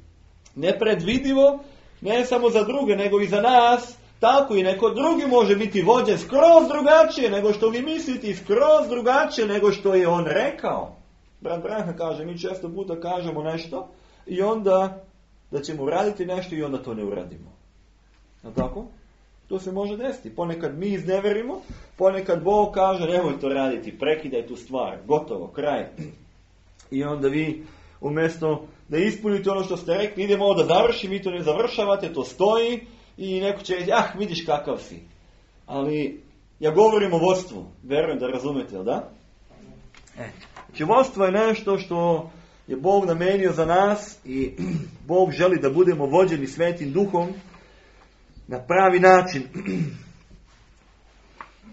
nepredvidivo, ne samo za druge nego i za nas, tako i neko drugi može biti vođen skroz drugačije nego što vi mislite i skroz drugačije nego što je on rekao. Brat Branka kaže, mi često puta kažemo nešto i onda da ćemo uraditi nešto i onda to ne uradimo. Je tako? To se može desiti. Ponekad mi izneverimo, ponekad Bog kaže, nemoj to raditi, prekidaj tu stvar, gotovo, kraj. I onda vi, umjesto da ispunite ono što ste rekli, idemo ovo da završi, vi to ne završavate, to stoji i neko će reći, ah, vidiš kakav si. Ali ja govorim o vodstvu, verujem da razumete, jel da? E. Znači, vodstvo je nešto što je Bog namenio za nas i Bog želi da budemo vođeni Svetim Duhom na pravi način.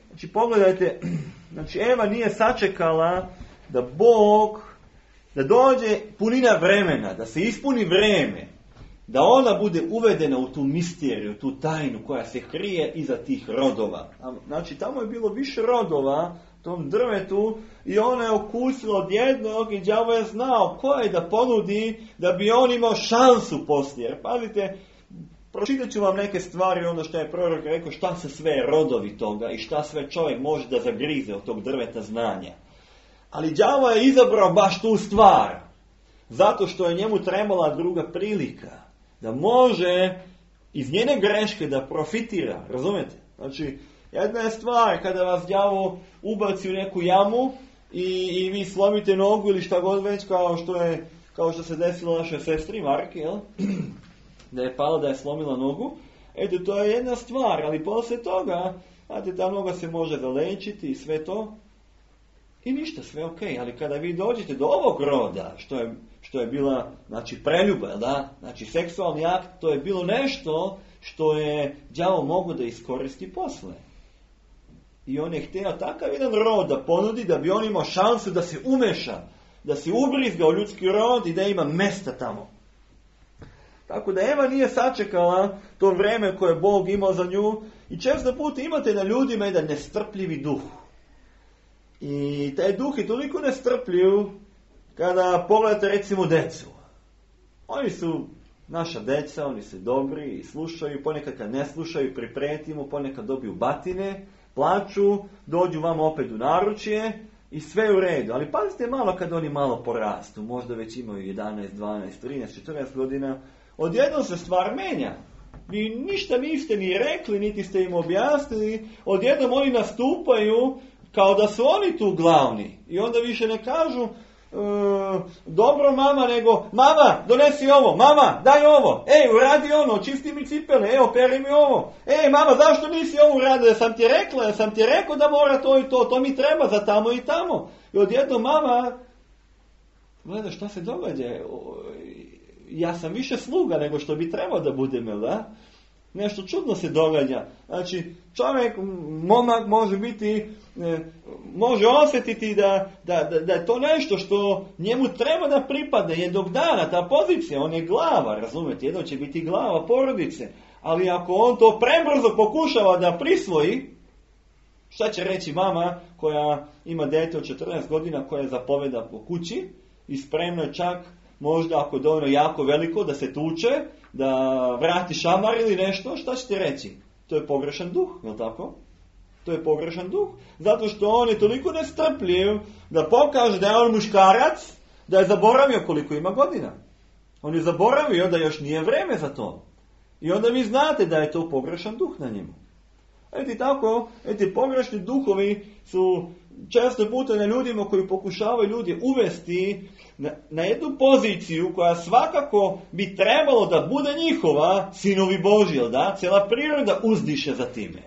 Znači, pogledajte, znači, Eva nije sačekala da Bog, da dođe punina vremena, da se ispuni vreme, da ona bude uvedena u tu misteriju, tu tajnu koja se krije iza tih rodova. Znači, tamo je bilo više rodova, tom drvetu i ona je okusila od jednog i đavo je znao ko je da ponudi da bi on imao šansu poslije. Jer pazite, pročitat ću vam neke stvari, ono što je prorok rekao, šta se sve rodovi toga i šta sve čovjek može da zagrize od tog drveta znanja. Ali đavo je izabrao baš tu stvar, zato što je njemu trebala druga prilika, da može iz njene greške da profitira, razumijete? Znači, jedna je stvar kada vas đavo ubaci u neku jamu i, i vi slomite nogu ili šta god već, kao što je, kao što se desilo našoj sestri Marki, jel? Da je pala, da je slomila nogu. Eto, to je jedna stvar, ali poslije toga, znate, ta noga se može zalečiti i sve to. I ništa, sve ok, ali kada vi dođete do ovog roda, što je, što je bila, znači, preljuba, da? Znači, seksualni akt, to je bilo nešto što je đavo mogao da iskoristi posle. I on je htio takav jedan rod da ponudi, da bi on imao šansu da se umeša, da se ubrizga u ljudski rod i da ima mesta tamo. Tako da Eva nije sačekala to vreme koje je Bog imao za nju i često puta imate na ljudima jedan nestrpljivi duh. I taj duh je toliko nestrpljiv kada pogledate recimo decu. Oni su naša deca, oni su dobri i slušaju, ponekad kad ne slušaju priprijetimo, ponekad dobiju batine, plaču, dođu vam opet u naručje i sve u redu. Ali pazite malo kad oni malo porastu, možda već imaju jedanaest, dvanaest, trinaest, četrnaest godina, odjednom se stvar menja. Vi ništa niste ni rekli, niti ste im objasnili, odjednom oni nastupaju kao da su oni tu glavni. I onda više ne kažu e, dobro mama, nego mama, donesi ovo, mama, daj ovo, ej, uradi ono, čisti mi cipele, evo, peri mi ovo, ej, mama, zašto nisi ovo uradio, ja sam ti rekla, ja sam ti rekao da mora to i to, to mi treba za tamo i tamo. I odjednom mama, gleda šta se događa, ja sam više sluga nego što bi trebao da budem, da? Nešto čudno se događa. Znači, čovjek, momak može biti, može osjetiti da, da, da, da je to nešto što njemu treba da pripadne jednog dana, ta pozicija, on je glava, razumijete, jedno će biti glava porodice, ali ako on to prebrzo pokušava da prisvoji, šta će reći mama koja ima dete od četrnaest godina koja zapoveda po kući i spremno je čak možda ako je dovoljno jako veliko da se tuče, da vrati šamar ili nešto, šta ćete reći? To je pogrešan duh, je li tako? To je pogrešan duh. Zato što on je toliko nestrpljiv da pokaže da je on muškarac, da je zaboravio koliko ima godina. On je zaboravio da još nije vreme za to. I onda vi znate da je to pogrešan duh na njemu. Eti tako, eti pogrešni duhovi su često puta na ljudima koji pokušavaju ljudi uvesti na, na jednu poziciju koja svakako bi trebalo da bude njihova, sinovi Božji, da? Cijela priroda uzdiše za time.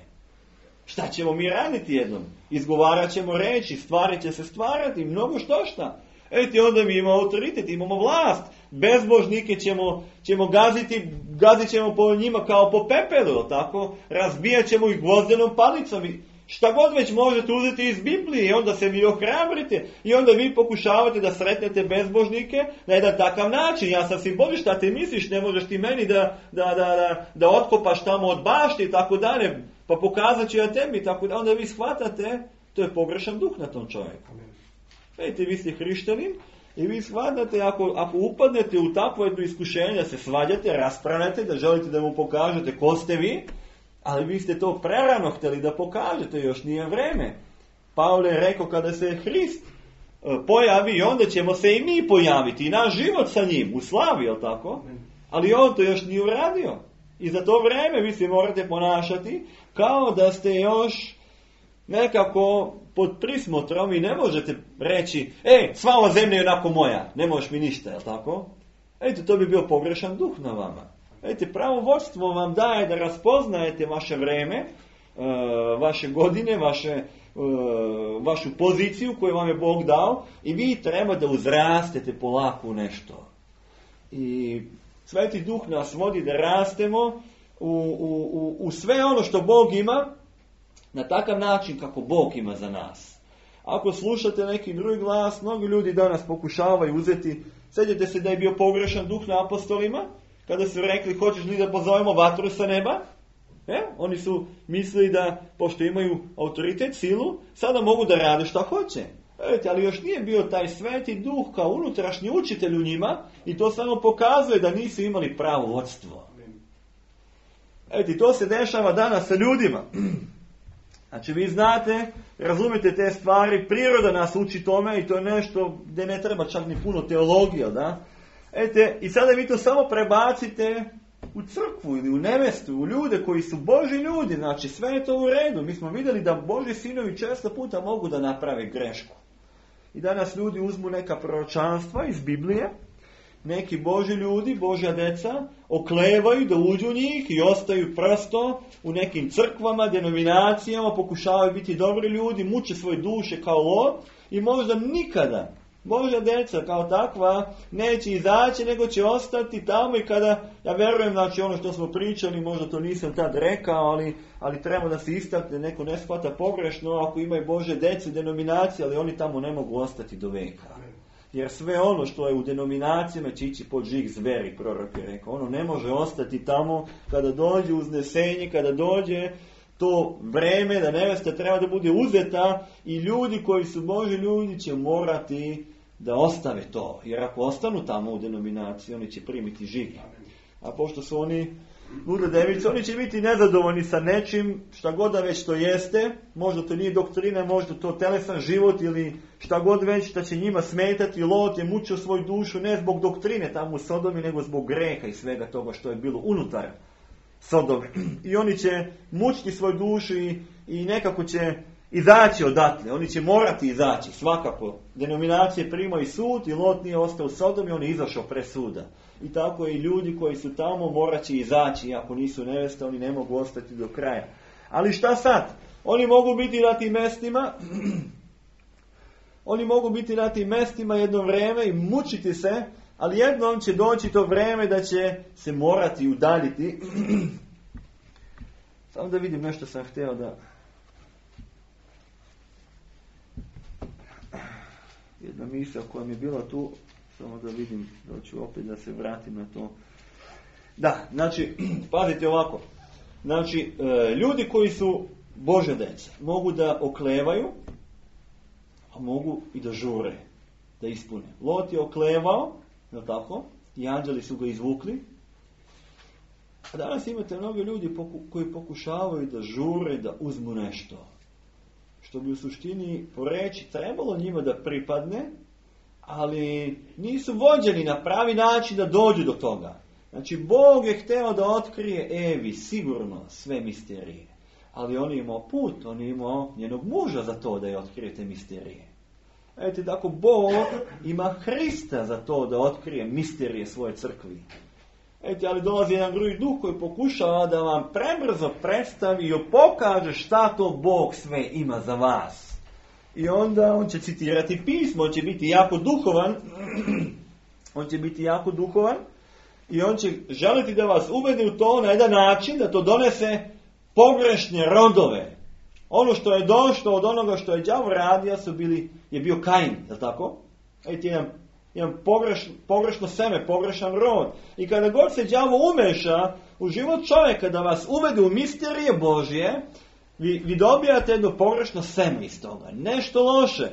Šta ćemo mi raditi jednom? Izgovarat ćemo reći, stvari će se stvarati, mnogo što šta. Eti onda mi imamo autoritet, imamo vlast. Bezbožnike ćemo, ćemo gaziti, gazit ćemo po njima kao po pepelu, tako? Razbijat ćemo ih gvozdenom palicom. Šta god već možete uzeti iz Biblije i onda se vi ohrabrite i onda vi pokušavate da sretnete bezbožnike na jedan takav način. Ja sam simboli, šta ti misliš, ne možeš ti meni da, da, da, da, da otkopaš tamo od bašti i tako dalje, pa pokazat ću ja tebi, tako da onda vi shvatate, to je pogrešan duh na tom čovjeku. Vidite, vi ste hrišćanin i vi shvatate, ako, ako upadnete u takvo jedno iskušenje, da se svađate, raspravljate, da želite da mu pokažete ko ste vi, ali vi ste to prerano htjeli da pokažete, još nije vreme. Pavle je rekao kada se Hrist pojavi, onda ćemo se i mi pojaviti, i naš život sa njim, u slavi, jel tako? Ali on to još nije uradio. I za to vreme vi se morate ponašati kao da ste još nekako pod prismotrom i ne možete reći, ej, sva ova zemlja je onako moja, ne možeš mi ništa, jel tako? Ejte, to bi bio pogrešan duh na vama. Ejte, pravo vodstvo vam daje da raspoznajete vaše vreme, vaše godine, vaše, vašu poziciju koju vam je Bog dao i vi treba da uzrastete polako u nešto. I Sveti Duh nas vodi da rastemo u, u, u, u sve ono što Bog ima, na takav način kako Bog ima za nas. Ako slušate neki drugi glas, mnogi ljudi danas pokušavaju uzeti, sjećate se da je bio pogrešan duh na apostolima, kada su rekli, hoćeš li da pozovemo vatru sa neba? E? Oni su mislili da, pošto imaju autoritet, silu, sada mogu da rade šta hoće. Vidite, ali još nije bio taj Sveti Duh kao unutrašnji učitelj u njima i to samo pokazuje da nisu imali pravo vodstvo. Vidite, to se dešava danas sa ljudima. Znači, vi znate, razumite te stvari, priroda nas uči tome i to je nešto gdje ne treba čak ni puno teologija, da? Vidite, i sada vi to samo prebacite u crkvu ili u nevestu, u ljude koji su Božji ljudi, znači sve je to u redu. Mi smo vidjeli da Božji sinovi često puta mogu da naprave grešku. I danas ljudi uzmu neka proročanstva iz Biblije, neki Božji ljudi, Božja deca, oklevaju da uđu u njih i ostaju prosto u nekim crkvama, denominacijama, pokušavaju biti dobri ljudi, muče svoje duše kao lov i možda nikada Božja deca kao takva neće izaći, nego će ostati tamo i kada, ja verujem, znači ono što smo pričali, možda to nisam tad rekao, ali, ali treba da se istakne, neko ne shvata pogrešno, ako imaju Božje dece, denominacije, ali oni tamo ne mogu ostati do veka. Jer sve ono što je u denominacijama će ići pod žig zveri, prorok je rekao. Ono ne može ostati tamo kada dođe uznesenje, kada dođe to vreme da nevesta treba da bude uzeta i ljudi koji su Božji ljudi će morati da ostave to. Jer ako ostanu tamo u denominaciji, oni će primiti žig. A pošto su oni lude device, oni će biti nezadovoljni sa nečim, šta god da već to jeste, možda to nije doktrina, možda to telesan život ili šta god već, šta će njima smetati. Lot je mučio svoju dušu ne zbog doktrine tamo u Sodomi, nego zbog greha i svega toga što je bilo unutar Sodome. I oni će mučiti svoju dušu i, i nekako će izaći odatle. Oni će morati izaći, svakako. Denominacije primaju sud i Lot nije ostao u Sodomi, on je izašao pre suda. I tako i ljudi koji su tamo morat će izaći, ako nisu neveste, oni ne mogu ostati do kraja. Ali šta sad? Oni mogu biti na tim mestima, oni mogu biti na tim mestima jedno vreme i mučiti se, ali jednom će doći to vreme da će se morati udaljiti. Samo da vidim nešto sam htio da... Jedna misla koja mi je bila tu, samo da vidim, da ću opet da se vratim na to. Da, znači, pazite ovako. Znači, ljudi koji su Božja deca mogu da oklevaju, a mogu i da žure, da ispune. Lot je oklevao, je tako? I anđeli su ga izvukli. A danas imate mnogo ljudi koji pokušavaju da žure, da uzmu nešto. Što bi u suštini po reći trebalo njima da pripadne, ali nisu vođeni na pravi način da dođu do toga. Znači, Bog je hteo da otkrije Evi sigurno sve misterije. Ali on je imao put, on je imao njenog muža za to da je otkrije te misterije. Vidite, tako Bog ima Hrista za to da otkrije misterije svoje crkvi. Vidite, ali dolazi jedan drugi duh koji pokušava da vam prebrzo predstavi i pokaže šta to Bog sve ima za vas. I onda on će citirati pismo, on će biti jako duhovan, on će biti jako duhovan i on će želiti da vas uvede u to na jedan način da to donese pogrešne rodove. Ono što je došlo od onoga što je đavo radio su bili, je bio Kain, je li tako? Vidite, jedan, jedan pogreš, pogrešno seme, pogrešan rod. I kada god se đavo umeša u život čovjeka da vas uvede u misterije Božje, vi, vi dobijate jedno pogrešno seme iz toga. Nešto loše.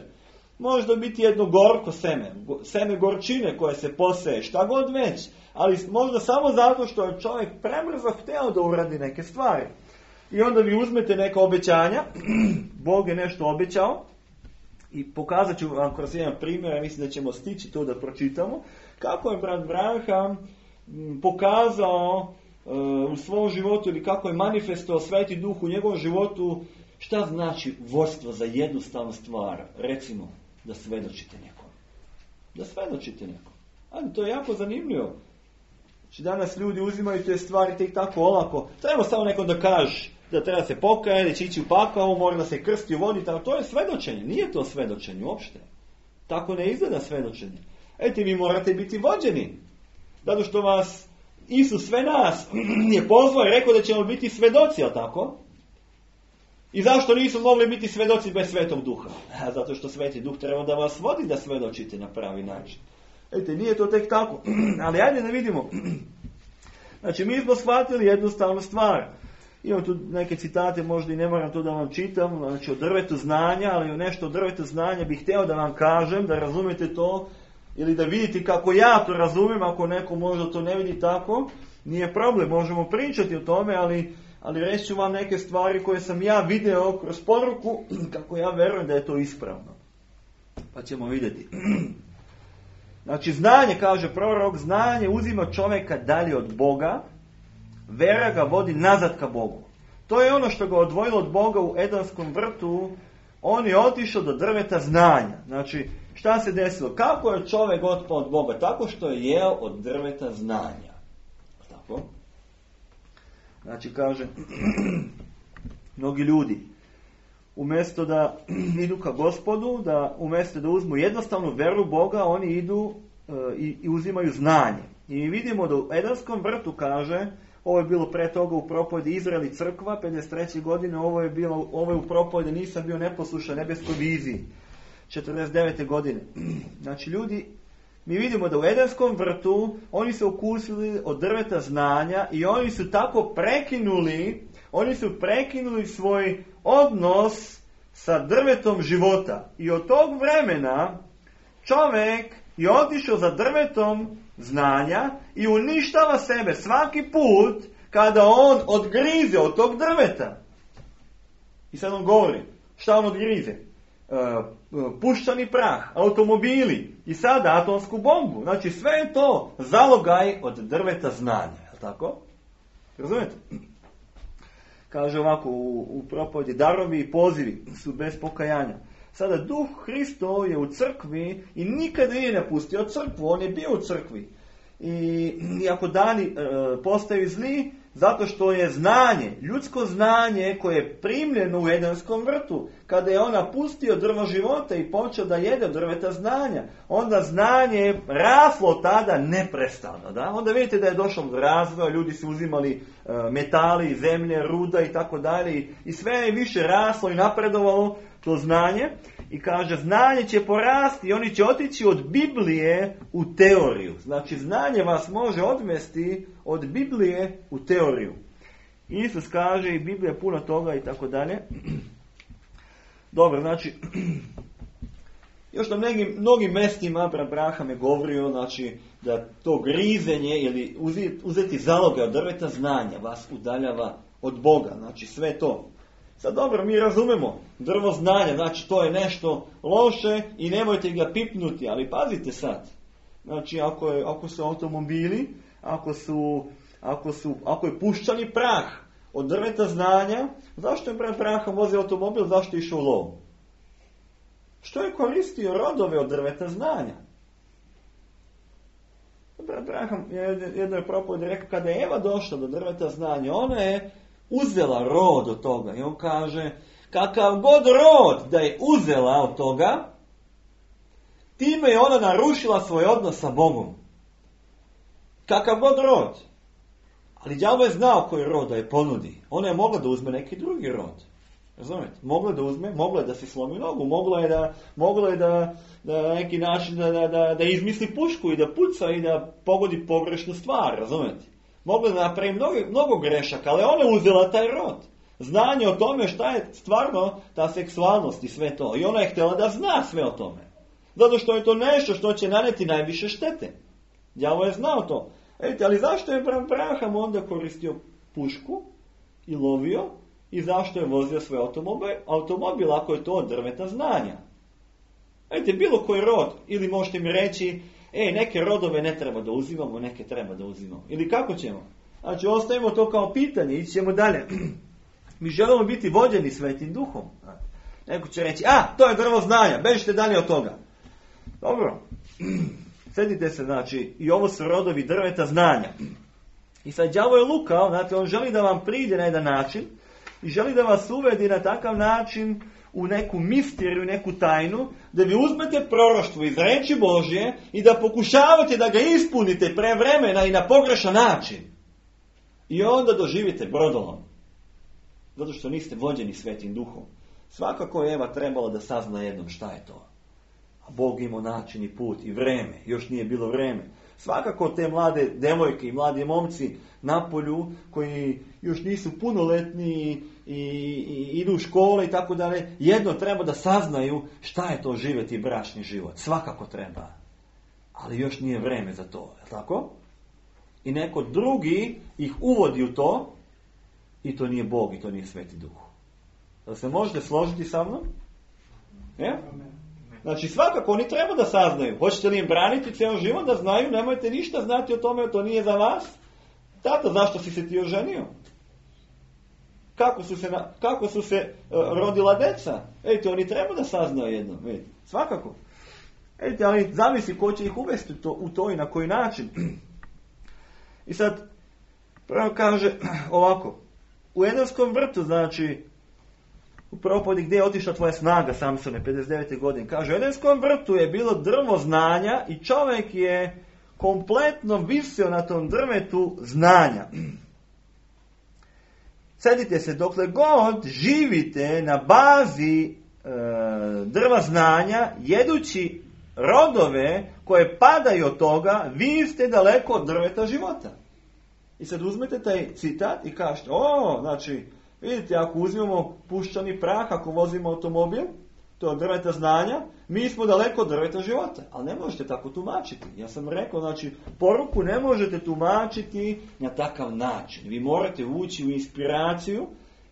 Možda biti jedno gorko seme, seme gorčine koje se poseje, šta god već. Ali možda samo zato što je čovjek prebrzo hteo da uradi neke stvari. I onda vi uzmete neka obećanja, Bog je nešto obećao, i pokazat ću vam kroz jedan primjer, ja mislim da ćemo stići to da pročitamo, kako je brat Branham pokazao uh, u svom životu, ili kako je manifestovao Sveti Duh u njegovom životu, šta znači vodstvo za jednostavnu stvar, recimo, da svedočite nekom. Da svedočite nekom. Ali to je jako zanimljivo. Znači danas ljudi uzimaju te stvari tek tako olako. Treba samo nekom da kaže da treba se pokajati, da će ići u pakao, mora da se krsti u vodi. To je svedočenje. Nije to svedočenje uopšte. Tako ne izgleda svedočenje. Eti, vi morate biti vođeni. Zato što vas Isus sve nas je pozvao i rekao da ćemo biti svedoci, jel tako? I zašto nisu mogli biti svedoci bez Svetog Duha? Zato što Sveti Duh treba da vas vodi da svedočite na pravi način. Ete, nije to tek tako. Ali ajde da vidimo. Znači, mi smo shvatili jednostavnu stvar. Imam tu neke citate, možda i ne moram to da vam čitam, znači o drvetu znanja, ali nešto o drvetu znanja bih htio da vam kažem, da razumijete to, ili da vidite kako ja to razumijem, ako neko možda to ne vidi tako, nije problem, možemo pričati o tome, ali, ali reći ću vam neke stvari koje sam ja video kroz poruku, kako ja verujem da je to ispravno. Pa ćemo vidjeti. Znači, znanje, kaže prorok, znanje uzima čovjeka dalje od Boga, vera ga vodi nazad ka Bogu. To je ono što ga odvojilo od Boga u Edenskom vrtu. On je otišao do drveta znanja. Znači, šta se desilo? Kako je čovjek otpao od Boga? Tako što je jeo od drveta znanja. Tako? Znači, kaže, mnogi ljudi, umjesto da idu ka Gospodu, da umjesto da uzmu jednostavnu veru Boga, oni idu e, i, i uzimaju znanje. I vidimo da u Edenskom vrtu, kaže, ovo je bilo pre toga u propovedi Izrael i crkva, pedeset treće godine, ovo je bilo, ovo je u propovedi Nisam bio neposlušan nebeskoj viziji, četrdeset devete godine. Znači, ljudi, mi vidimo da u Edenskom vrtu oni su okusili od drveta znanja i oni su tako prekinuli, oni su prekinuli svoj odnos sa drvetom života. I od tog vremena čovjek je otišao za drvetom znanja i uništava sebe svaki put kada on odgrize od tog drveta. I sad on govori, šta on odgrize? E, puščani prah, automobili i sada atomsku bombu. Znači sve je to zalogaj od drveta znanja. Je li tako? Razumijete? Kaže ovako u, u propovedi, darovi i pozivi su bez pokajanja. Sada Duh Hristov je u crkvi i nikada nije napustio crkvu, on je bio u crkvi. I iako dani e, postaju zli, zato što je znanje, ljudsko znanje koje je primljeno u Edenskom vrtu, kada je on napustio drvo života i počeo da jede drveta znanja, onda znanje je raslo tada neprestano. Da? Onda vidite da je došlo do razvoja, ljudi su uzimali e, metali, zemlje, ruda i tako dalje i sve je više raslo i napredovalo to znanje. I kaže, znanje će porasti i oni će otići od Biblije u teoriju. Znači, znanje vas može odvesti od Biblije u teoriju. Isus kaže i Biblija puno toga i tako dalje. Dobro, znači, još na mnogim, mnogim mestima Abraham je govorio, znači, da to grizenje ili uzeti zaloge od drveta znanja vas udaljava od Boga. Znači, sve to. Sad dobro, mi razumemo drvo znanja, znači to je nešto loše i nemojte ga pipnuti, ali pazite sad. Znači ako, je, ako su automobili, ako, su, ako, su, ako je puščani prah od drveta znanja, zašto je pred prahom vozio automobil, zašto je išao u lov? Što je koristio rodove od drveta znanja? Pred prahom, jedno je propoved rekao, kada je Eva došla do drveta znanja, ona je uzela rod od toga. I on kaže, kakav god rod da je uzela od toga, time je ona narušila svoj odnos sa Bogom. Kakav god rod. Ali đavo je znao koji rod da je ponudi. Ona je mogla da uzme neki drugi rod. Razumijete? Mogla da uzme, mogla je da se slomi nogu, mogla je da, mogla je da, da neki način da, da, da, da izmisli pušku i da puca i da pogodi pogrešnu stvar. Razumijete? Mogla da napravi mnogo, mnogo grešaka, ali ona je uzela taj rod. Znanje o tome šta je stvarno ta seksualnost i sve to. I ona je htjela da zna sve o tome. Zato što je to nešto što će naneti najviše štete. Đavo je znao to. Vidite, ali zašto je Abraham onda koristio pušku i lovio i zašto je vozio svoj automobil, automobil ako je to od drveta znanja? Vidite, bilo koji rod, ili možete mi reći, ej, neke rodove ne treba da uzimamo, neke treba da uzimamo. Ili kako ćemo? Znači, ostavimo to kao pitanje, ići ćemo dalje. Mi želimo biti vođeni Svetim Duhom. Neko će reći, a, to je drvo znanja, bežite dalje od toga. Dobro. Sjedite se, znači, i ovo su rodovi drveta znanja. I sad đavo je lukao, znači, on želi da vam pride na jedan način i želi da vas uvedi na takav način u neku misteriju, neku tajnu, da vi uzmete proroštvo iz reči Božje i da pokušavate da ga ispunite pre vremena i na pogrešan način. I onda doživite brodolom. Zato što niste vođeni Svetim Duhom. Svakako je Eva trebala da sazna jednom šta je to. A Bog imao način i put i vreme. Još nije bilo vreme. Svakako te mlade devojke i mladi momci na polju koji još nisu punoletni i, i, i idu u škole i tako dalje, jedno treba da saznaju šta je to živjeti bračni život. Svakako treba. Ali još nije vreme za to. Je tako? I neko drugi ih uvodi u to i to nije Bog i to nije Sveti Duh. Da se možete složiti sa mnom? Je? Znači svakako oni treba da saznaju. Hoćete li im braniti cijelo život da znaju, nemojte ništa znati o tome, to nije za vas. Tato, zašto si se ti oženio? Kako su se, na, kako su se uh, rodila deca? Ejte, oni treba da saznaju jedno. Vidite. Svakako. Ejte, ali zavisi ko će ih uvesti to, u to i na koji način. I sad, prvo kaže ovako. U Edenskom vrtu, znači, u propodi gdje je otišla tvoja snaga, Samsone, pedeset devete godine. Kaže, u Edenskom vrtu je bilo drvo znanja i čovjek je kompletno visio na tom drvetu znanja. Sedite se dokle god živite na bazi e, drva znanja, jedući rodove koje padaju od toga, vi ste daleko od drveta života. I sad uzmete taj citat i kažete, o, znači, vidite, ako uzmemo puščani prah, ako vozimo automobil, to je drveta znanja, mi smo daleko od drveta života. Ali ne možete tako tumačiti. Ja sam rekao, znači, poruku ne možete tumačiti na takav način. Vi morate ući u inspiraciju,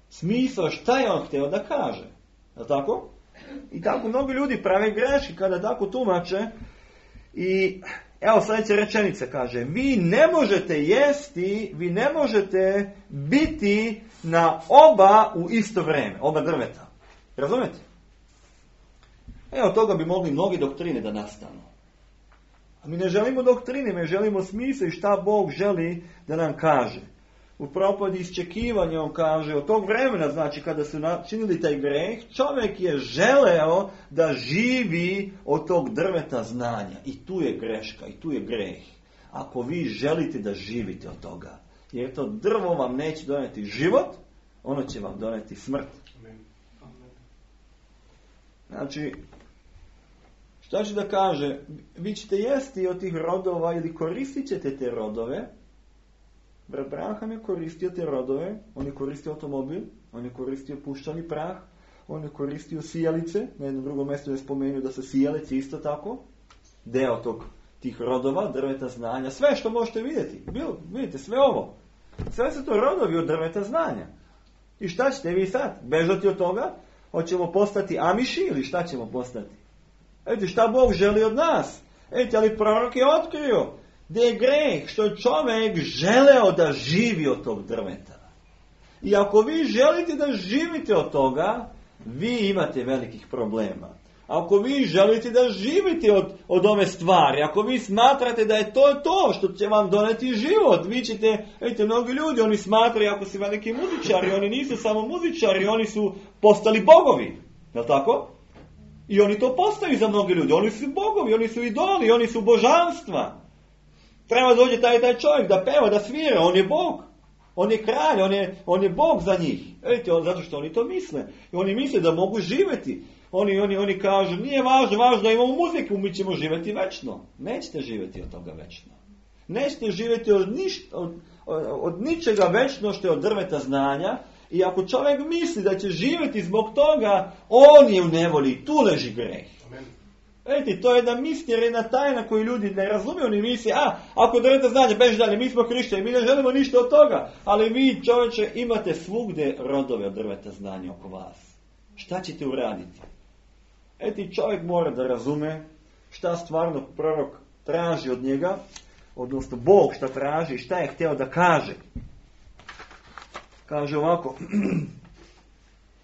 smisao šta je on htio da kaže. Je li tako? I tako mnogo ljudi prave greške kada tako tumače. I evo sljedeća rečenica kaže, vi ne možete jesti, vi ne možete biti na oba u isto vrijeme, oba drveta. Razumete? Evo toga bi mogli mnogi doktrine da nastanu. A mi ne želimo doktrine, mi želimo smisao i šta Bog želi da nam kaže. U propodi iščekivanja on kaže, od tog vremena, znači kada su načinili taj greh, čovjek je želeo da živi od tog drveta znanja. I tu je greška, i tu je greh. Ako vi želite da živite od toga, jer to drvo vam neće doneti život, ono će vam doneti smrt. Znači, šta će da kaže? Vi ćete jesti od tih rodova ili koristit ćete te rodove. Brat Branham je koristio te rodove, on je koristio automobil, on je koristio puščani prah, on je koristio sijalice, na jednom drugom mjestu je spomenuo da su sijalice isto tako, deo tog, tih rodova, drveta znanja, sve što možete vidjeti, Bil, vidite sve ovo, sve su to rodovi od drveta znanja. I šta ćete vi sad? Bežati od toga? Hoćemo postati Amiši ili šta ćemo postati? Vidite šta Bog želi od nas? Vidite, ali prorok je otkrio da je greh što je čovjek želeo da živi od tog drveta. I ako vi želite da živite od toga, vi imate velikih problema. Ako vi želite da živite od, od ove stvari, ako vi smatrate da je to to što će vam doneti život, vi ćete, vidite, mnogi ljudi, oni smatraju ako su veliki muzičari, oni nisu samo muzičari, oni su postali bogovi. Je li tako? I oni to postaju za mnogi ljudi. Oni su bogovi, oni su idoli, oni su božanstva. Treba dođe taj taj čovjek da peva, da svira, on je Bog. On je kralj, on je, on je Bog za njih. Vidite, on, zato što oni to misle. I oni misle da mogu živjeti. Oni, oni, oni kažu, nije važno, važno da imamo muziku, mi ćemo živjeti večno. Nećete živjeti od toga večno. Nećete živjeti od, ništa, od, od, od ničega večno što je od drveta znanja. I ako čovjek misli da će živjeti zbog toga, on je u nevolji, tu leži greh. Vidite, to je jedna misija, jedna tajna koju ljudi ne razumiju, oni misli, a, ako drveta znanja, beži dalje, mi smo hrišćani, mi ne želimo ništa od toga, ali vi, čovječe, imate svugdje rodove od drveta znanja oko vas. Šta ćete uraditi? Eti, čovjek mora da razume šta stvarno prorok traži od njega, odnosno Bog šta traži i šta je htio da kaže. Kaže ovako,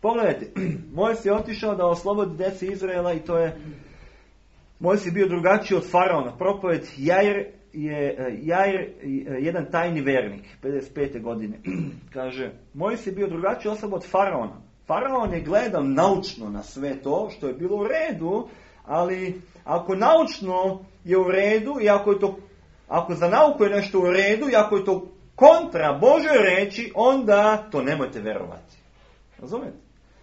pogledajte, Mojsije je otišao da oslobodi djece Izraela i to je, Mojsije je bio drugačiji od faraona. Propoved Jair je Jair, jedan tajni vernik, pedeset pete godine. Kaže, Mojsije je bio drugačiji osoba od faraona. Faraon je gledao naučno na sve to što je bilo u redu, ali ako naučno je u redu i ako je to, ako za nauku je nešto u redu i ako je to kontra Božoj reči, onda to nemojte vjerovati. Razumijete?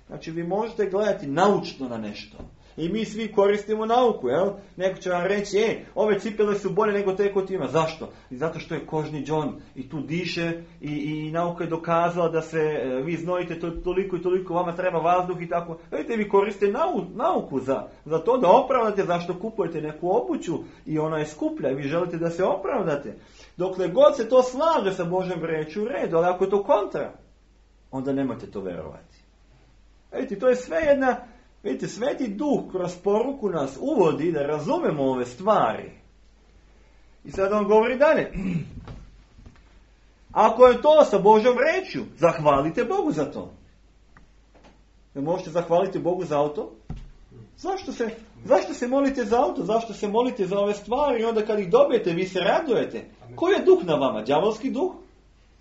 Znači vi možete gledati naučno na nešto. I mi svi koristimo nauku, jel? Neko će vam reći, e, ove cipele su bolje nego te kod ima. Zašto? I zato što je kožni džon i tu diše i, i nauka je dokazala da se e, vi znojite to, toliko i toliko, vama treba vazduh i tako. Vidite, vi koriste nau, nauku za, za to da opravdate zašto kupujete neku obuću i ona je skuplja i vi želite da se opravdate. Dokle god se to slaže sa Božjom rečju, u redu, ali ako je to kontra, onda nemojte to verovati. Vidite, to je sve jedna, vidite, Sveti Duh kroz poruku nas uvodi da razumemo ove stvari. I sad on govori dalje. Ako je to sa Božjom rečju, zahvalite Bogu za to. Ne možete zahvaliti Bogu za auto? Zašto se, zašto se molite za auto? Zašto se molite za ove stvari? I onda kad ih dobijete, vi se radujete. Koji je duh na vama? Đavolski duh?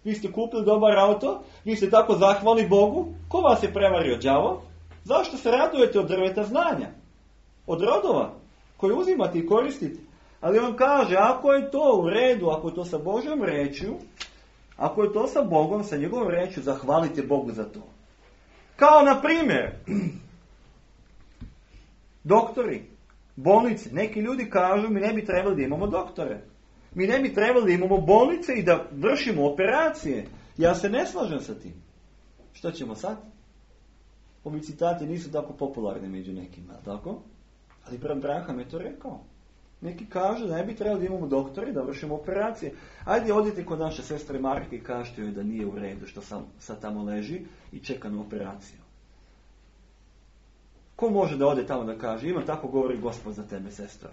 Vi ste kupili dobar auto? Vi ste tako zahvali Bogu? Ko vas je prevario? Đavo? Zašto se radujete od drveta znanja? Od rodova koje uzimate i koristite? Ali on kaže, ako je to u redu, ako je to sa Božjom rečju, ako je to sa Bogom, sa njegovom rečju, zahvalite Bogu za to. Kao na primjer, doktori, bolnice. Neki ljudi kažu, mi ne bi trebali da imamo doktore. Mi ne bi trebali da imamo bolnice i da vršimo operacije. Ja se ne slažem sa tim. Što ćemo sad? Ovi citati nisu tako popularni među nekima, tako? Ali brat Branham je to rekao. Neki kažu da ne bi trebali da imamo doktore i da vršimo operacije. Ajde, odite kod naše sestre Marke i kažete joj da nije u redu što sam sad tamo leži i čeka na operaciju. Ko može da ode tamo da kaže, ima tako govori Gospod za tebe, sestra.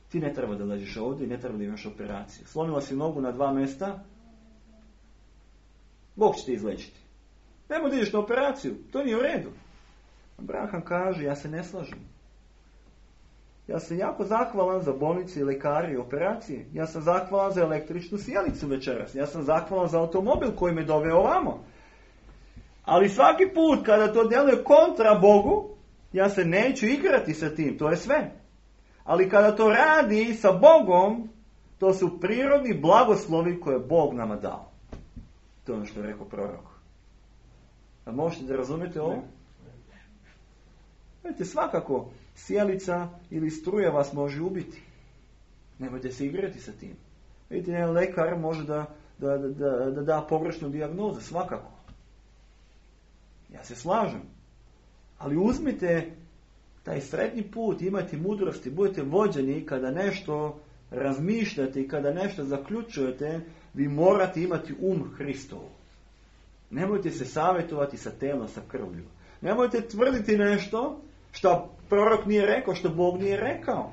Ti ne treba da ležiš ovdje i ne treba da imaš operaciju. Slomila si nogu na dva mjesta, Bog će te izlečiti. Nemoj da ideš na operaciju, to nije u redu. Branham kaže, ja se ne slažem. Ja sam jako zahvalan za bolnice i lekari i operacije. Ja sam zahvalan za električnu sjelicu večeras. Ja sam zahvalan za automobil koji me doveo ovamo. Ali svaki put kada to djeluje kontra Bogu, ja se neću igrati sa tim, to je sve. Ali kada to radi sa Bogom, to su prirodni blagoslovi koje je Bog nama dao. To je ono što je rekao prorok. A možete da razumijete ovo? Vidite, svakako, sjelica ili struja vas može ubiti. Nemojte se igrati sa tim. Vidite, jedan lekar može da da, da, da, da da pogrešnu dijagnozu, svakako. Ja se slažem. Ali uzmite taj srednji put, imajte mudrosti, budete vođeni kada nešto razmišljate i kada nešto zaključujete, vi morate imati um Hristov. Nemojte se savjetovati sa telom, sa krvlju. Nemojte tvrditi nešto što prorok nije rekao, što Bog nije rekao.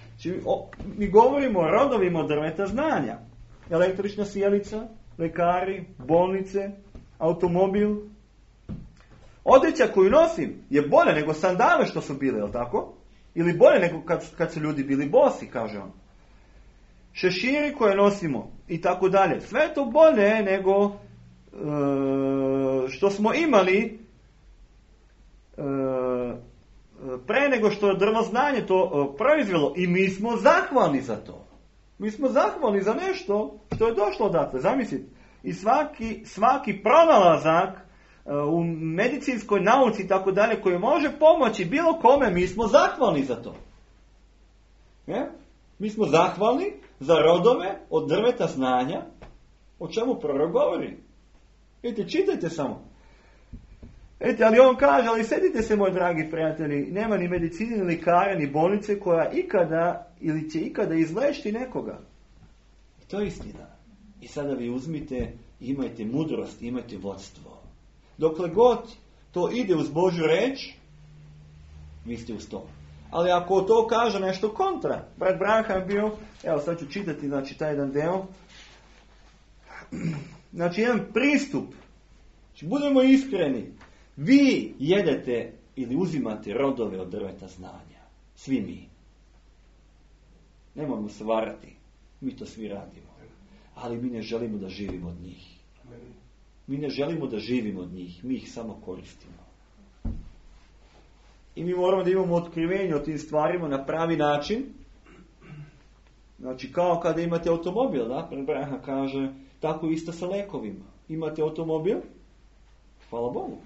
Znači, o, mi govorimo o rodovima od drveta znanja. Električna sjelica, lekari, bolnice, automobil. Odjeća koju nosim je bolje nego sandale što su bile, je li tako? Ili bolje nego kad, kad su ljudi bili bosi, kaže on. Šeširi koje nosimo i tako dalje. Sve je to bolje nego e, što smo imali e, pre nego što je drvo znanje to e, proizvelo. I mi smo zahvalni za to. Mi smo zahvalni za nešto što je došlo odatle. Zamislite. I svaki, svaki pronalazak e, u medicinskoj nauci i tako dalje koji može pomoći bilo kome, mi smo zahvalni za to. Je? Mi smo zahvalni za rodove od drveta znanja, o čemu prorok govori. Vidite, čitajte samo. Vidite, ali on kaže, ali sedite se, moji dragi prijatelji, nema ni medicine, ni lekara, ni bolnice koja ikada ili će ikada izlečiti nekoga. I to je istina. I sada vi uzmite, imajte mudrost, imajte vodstvo. Dokle god to ide uz Božju reč, vi ste uz to. Ali ako to kaže nešto kontra, brat Branham je bio, evo sad ću čitati, znači, taj jedan deo. Znači, jedan pristup. Znači, budemo iskreni. Vi jedete ili uzimate rodove od drveta znanja. Svi mi. Nemojmo se varati. Mi to svi radimo. Ali mi ne želimo da živimo od njih. Mi ne želimo da živimo od njih. Mi ih samo koristimo. I mi moramo da imamo otkrivenje o tim stvarima na pravi način. Znači, kao kada imate automobil, da? Branham kaže, tako isto sa lekovima. Imate automobil, hvala Bogu.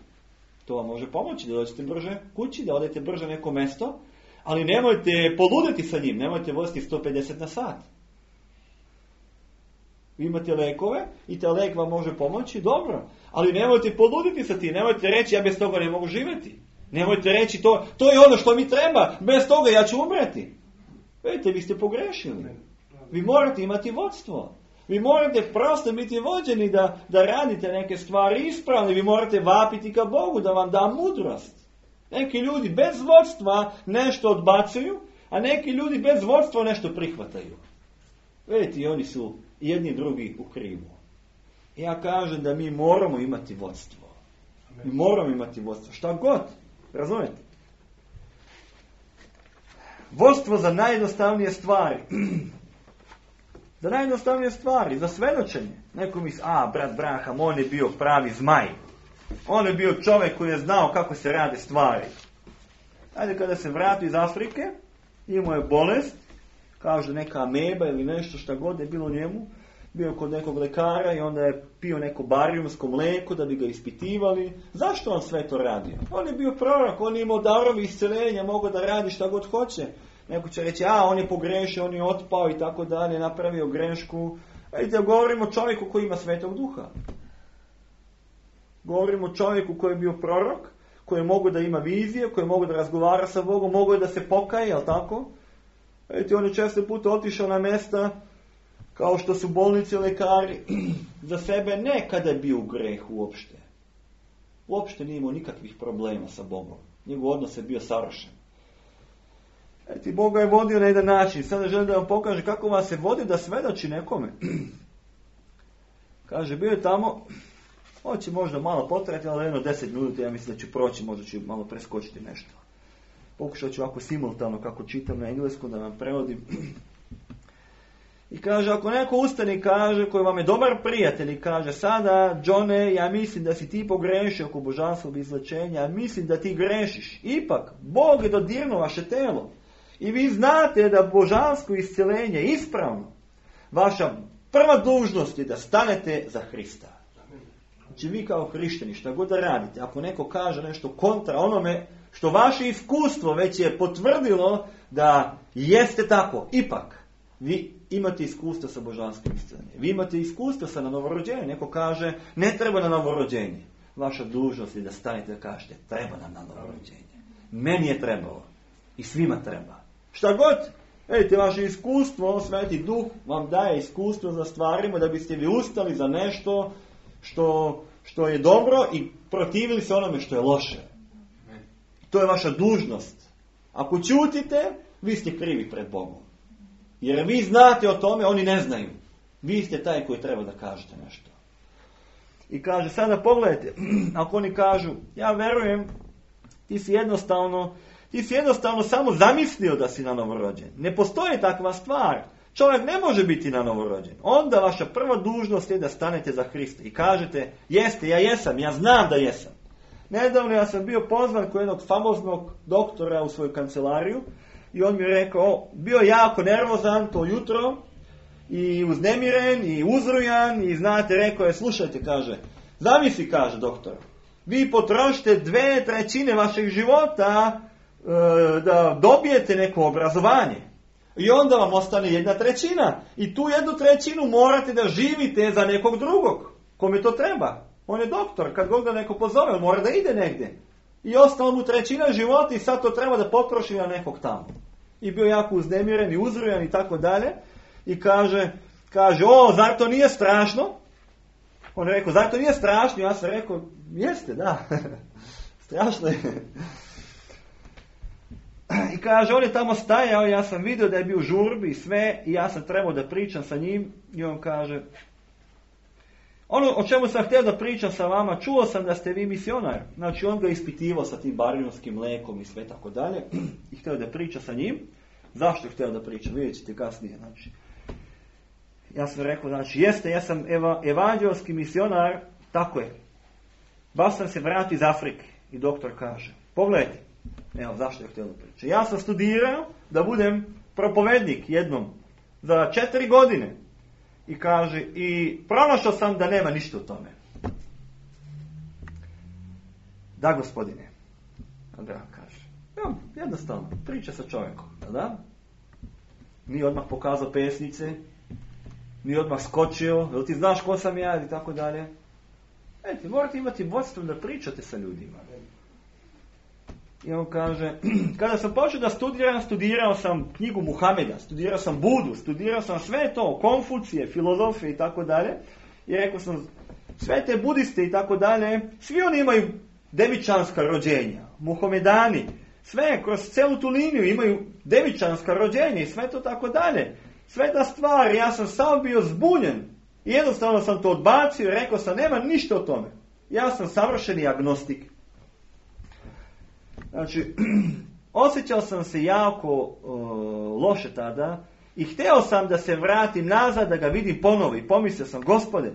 To vam može pomoći da dođete brže kući, da odete brže na neko mesto, ali nemojte poluditi sa njim, nemojte voziti sto pedeset na sat. Vi imate lekove i taj lek vam može pomoći, dobro, ali nemojte poluditi sa tim, nemojte reći ja bez toga ne mogu živjeti. Nemojte reći to, to je ono što mi treba, bez toga ja ću umreti. Vidite, vi ste pogrešili. Vi morate imati vodstvo. Vi morate prosto biti vođeni da, da radite neke stvari ispravne. Vi morate vapiti ka Bogu da vam da mudrost. Neki ljudi bez vodstva nešto odbacuju, a neki ljudi bez vodstva nešto prihvataju. Vidite, i oni su jedni drugi u krivu. Ja kažem da mi moramo imati vodstvo. Mi moramo imati vodstvo. Šta god. Razumijete? Vodstvo za najjednostavnije stvari. Za najjednostavnije stvari, za svedočenje. Neko misli, a, brat Braham, on je bio pravi zmaj. On je bio čovjek koji je znao kako se rade stvari. Ajde, kada se vrati iz Afrike, imao je bolest, kaže neka ameba ili nešto šta god je bilo u njemu, bio kod nekog lekara i onda je pio neko barijumsko mlijeko da bi ga ispitivali. Zašto on sve to radio? On je bio prorok, on je imao darovi isceljenja, mogao da radi šta god hoće. Neko će reći, a on je pogrešio, on je otpao i tako dalje, napravio grešku. Vidite, govorimo o čovjeku koji ima Svetog Duha. Govorimo o čovjeku koji je bio prorok, koji je mogao da ima vizije, koji je mogao da razgovara sa Bogom, mogao je da se pokaje, jel tako? Vidite, on je često puta otišao na mjesta kao što su bolnice, lekari, za sebe ne kada je bio u grehu uopšte. Uopšte nije imao nikakvih problema sa Bogom. Njegov odnos je bio savršen. Eti, Bog ga je vodio na jedan način. Sada želim da vam pokaže kako vas se vodi da svedoči nekome. Kaže, bio je tamo, hoće možda malo potrajati, ali jedno deset minuta, ja mislim da ću proći, možda ću malo preskočiti nešto. Pokušat ću ovako simultano, kako čitam na engleskom, da vam prevodim. I kaže, ako neko ustane i kaže, koji vam je dobar prijatelj i kaže, sada, Johne, ja mislim da si ti pogrešio oko božanskog izlečenja, ja mislim da ti grešiš. Ipak, Bog je dodirnuo vaše telo. I vi znate da božansko iscjelenje je ispravno. Vaša prva dužnost je da stanete za Hrista. Znači vi kao hrišćani, šta god da radite, ako neko kaže nešto kontra onome što vaše iskustvo već je potvrdilo da jeste tako, ipak, vi imate iskustvo sa božanskim iscjeljenjem. Vi imate iskustvo sa na novorođenje. Neko kaže, ne treba na novorođenje. Vaša dužnost je da stanete da kažete, treba nam na novorođenje. Meni je trebalo. I svima treba. Šta god, vidite, vaše iskustvo, Sveti Duh vam daje iskustvo za stvarima da biste vi ustali za nešto što, što je dobro i protivili se onome što je loše. To je vaša dužnost. Ako ćutite, vi ste krivi pred Bogom. Jer vi znate o tome, oni ne znaju. Vi ste taj koji treba da kažete nešto. I kaže, sada pogledajte, ako oni kažu, ja verujem, ti si jednostavno, ti si jednostavno samo zamislio da si na novorođen. Ne postoji takva stvar. Čovjek ne može biti na novorođen. Onda vaša prva dužnost je da stanete za Hrista i kažete, jeste, ja jesam, ja znam da jesam. Nedavno ja sam bio pozvan kod jednog famoznog doktora u svoju kancelariju i on mi je rekao, bio jako nervozan to jutro i uznemiren i uzrujan i znate, rekao je, slušajte, kaže, zamisli, kaže doktor, vi potrošite dve trećine vašeg života e, da dobijete neko obrazovanje i onda vam ostane jedna trećina i tu jednu trećinu morate da živite za nekog drugog, kome to treba. On je doktor, kad god ga neko pozove, on mora da ide negdje. I ostalo mu trećina života i sad to treba da potroši na nekog tamo. I bio jako uznemiren i uzrujan i tako dalje. I kaže, kaže, o, zar to nije strašno? On je rekao, zar to nije strašno? Ja sam rekao, jeste, da. Strašno je. I kaže, on je tamo stajao, ja sam vidio da je bio u žurbi i sve, i ja sam trebao da pričam sa njim. I on kaže, ono o čemu sam htio da pričam sa vama, čuo sam da ste vi misionar. Znači on ga ispitivao sa tim barijonskim mlekom i sve tako dalje. I htio da priča sa njim. Zašto je htio da priča? Vidjet ćete kasnije. Znači, ja sam rekao, znači, jeste, ja sam eva, evanđelski misionar, tako je. Baš sam se vratio iz Afrike. I doktor kaže, pogledajte, evo zašto je htio da priča. Ja sam studirao da budem propovednik jednom za četiri godine. I kaže, i pronašao sam da nema ništa u tome. Da, gospodine. Abraham kaže. Evo, jednostavno, priča sa čovjekom, da? Nije odmah pokazao pesnice, nije odmah skočio, jel ti znaš ko sam ja, i tako dalje. Eti, morate imati vodstvo da pričate sa ljudima. I on kaže, kada sam počeo da studiram, studirao sam knjigu Muhameda, studirao sam Budu, studirao sam sve to, Konfucije, filozofije i tako dalje. I rekao sam, sve te budiste i tako dalje, svi oni imaju devičanska rođenja, Muhamedani, sve kroz celu tu liniju imaju devičanska rođenja i sve to tako dalje. Sve ta stvar, ja sam sam bio zbunjen. I jednostavno sam to odbacio i rekao sam, nema ništa o tome. Ja sam savršeni agnostik. Znači, osjećao sam se jako uh, loše tada i htio sam da se vratim nazad, da ga vidim ponovo i pomislio sam, Gospode,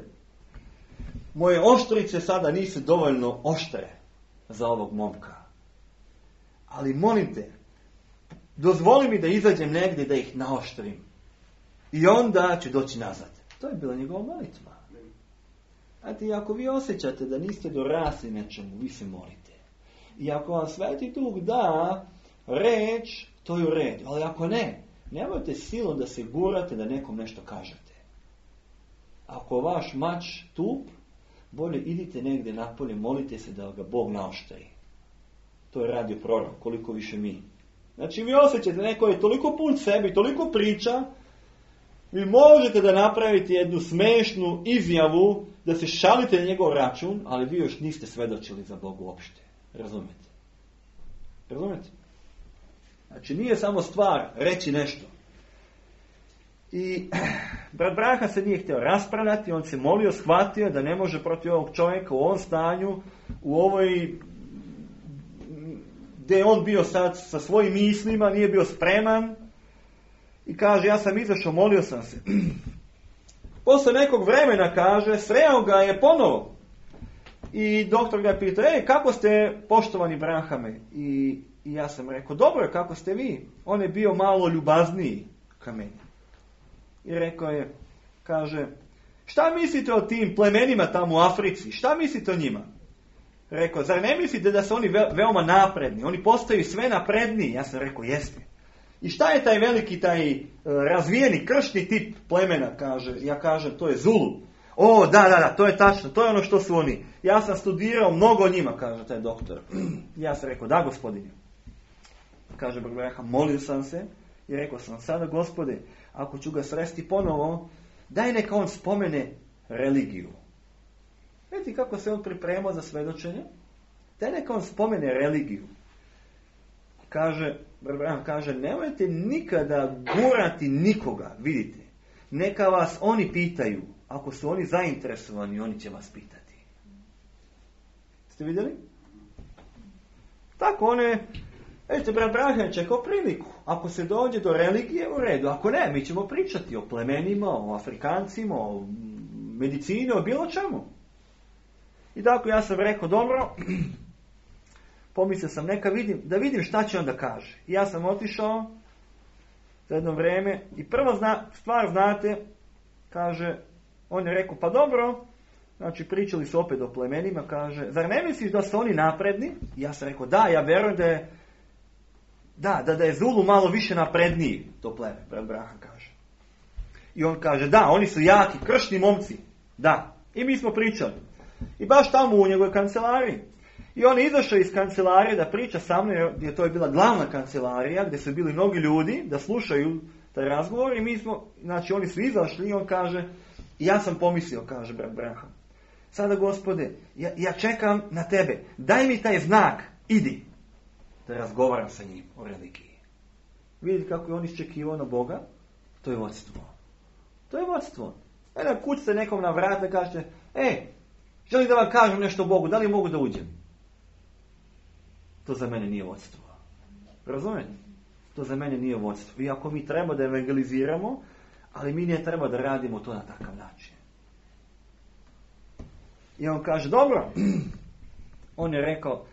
moje oštrice sada nisu dovoljno oštre za ovog momka. Ali molim te, dozvoli mi da izađem negdje da ih naoštrim. I onda ću doći nazad. To je bila njegova molitva. Znate, ako vi osjećate da niste dorasli nečemu, vi se molite. I ako vam Sveti Duh da reč, to je u redu. Ali ako ne, nemojte silom da se gurate da nekom nešto kažete. Ako vaš mač tup, bolje idite negdje napolje, molite se da ga Bog naoštri. To je radio prorok, koliko više mi. Znači vi osjećate da neko je toliko pun sebi, toliko priča, vi možete da napravite jednu smešnu izjavu, da se šalite na njegov račun, ali vi još niste svedočili za Bogu uopšte. Razumete? Razumete? Znači nije samo stvar reći nešto. I brat Branham se nije htio raspravljati, on se molio, shvatio da ne može protiv ovog čovjeka u ovom stanju, u ovoj, gdje je on bio sad sa svojim mislima, nije bio spreman. I kaže, ja sam izašao, molio sam se. Posle nekog vremena, kaže, sreo ga je ponovo. I doktor ga pita, ej, kako ste, poštovani Branhame? I, I ja sam rekao, dobro, kako ste vi? On je bio malo ljubazniji ka meni. I rekao je, kaže, šta mislite o tim plemenima tamo u Africi? Šta mislite o njima? Rekao, zar ne mislite da su oni ve- veoma napredni? Oni postaju sve napredniji. Ja sam rekao, jeste. I šta je taj veliki, taj e, razvijeni kršni tip plemena, kaže? Ja kažem, to je Zulu. O, da, da, da, to je tačno, to je ono što su oni. Ja sam studirao mnogo o njima, kaže taj doktor. Ja sam rekao, da, gospodine. Kaže Branham, molio sam se i rekao sam, sada, Gospode, ako ću ga sresti ponovo, daj neka on spomene religiju. Vidite kako se on pripremao za svedočenje? Daj neka on spomene religiju. Kaže, Branham kaže, nemojte nikada gurati nikoga, vidite. Neka vas oni pitaju. Ako su oni zainteresovani, oni će vas pitati. Ste vidjeli? Tako one, vidite, brat Branham čekao priliku. Ako se dođe do religije, u redu. Ako ne, mi ćemo pričati o plemenima, o Afrikancima, o medicini, o bilo čemu. I tako ja sam rekao, dobro, pomislio sam, neka vidim, da vidim šta će on da kaže. I ja sam otišao za jedno vrijeme i prva zna, stvar, znate, kaže, on je rekao, pa dobro, znači pričali su opet o plemenima, kaže, zar ne misliš da su oni napredni? I ja sam rekao, da, ja verujem da je, da, da, da je Zulu malo više napredniji, to pleme, brat Branham kaže. I on kaže, da, oni su jaki, kršni momci, da. I mi smo pričali. I baš tamo u njegovoj kancelariji. I on je izašao iz kancelarije da priča sa mnom, jer to je bila glavna kancelarija, gdje su bili mnogi ljudi da slušaju taj razgovor. I mi smo, znači oni su izašli i on kaže, ja sam pomislio, kaže brat Branham, sada, Gospode, ja, ja čekam na tebe, daj mi taj znak, idi, da razgovaram sa njim o religiji. Vidite kako je on iščekivao na Boga? To je vodstvo. To je vodstvo. E da kućete nekom na vrat da kažete, e, želim da vam kažem nešto o Bogu, da li mogu da uđem? To za mene nije vodstvo. Razumijete? To za mene nije vodstvo. Iako mi treba da evangeliziramo, ali mi ne treba da radimo to na takav način. I on kaže, dobro. On je rekao,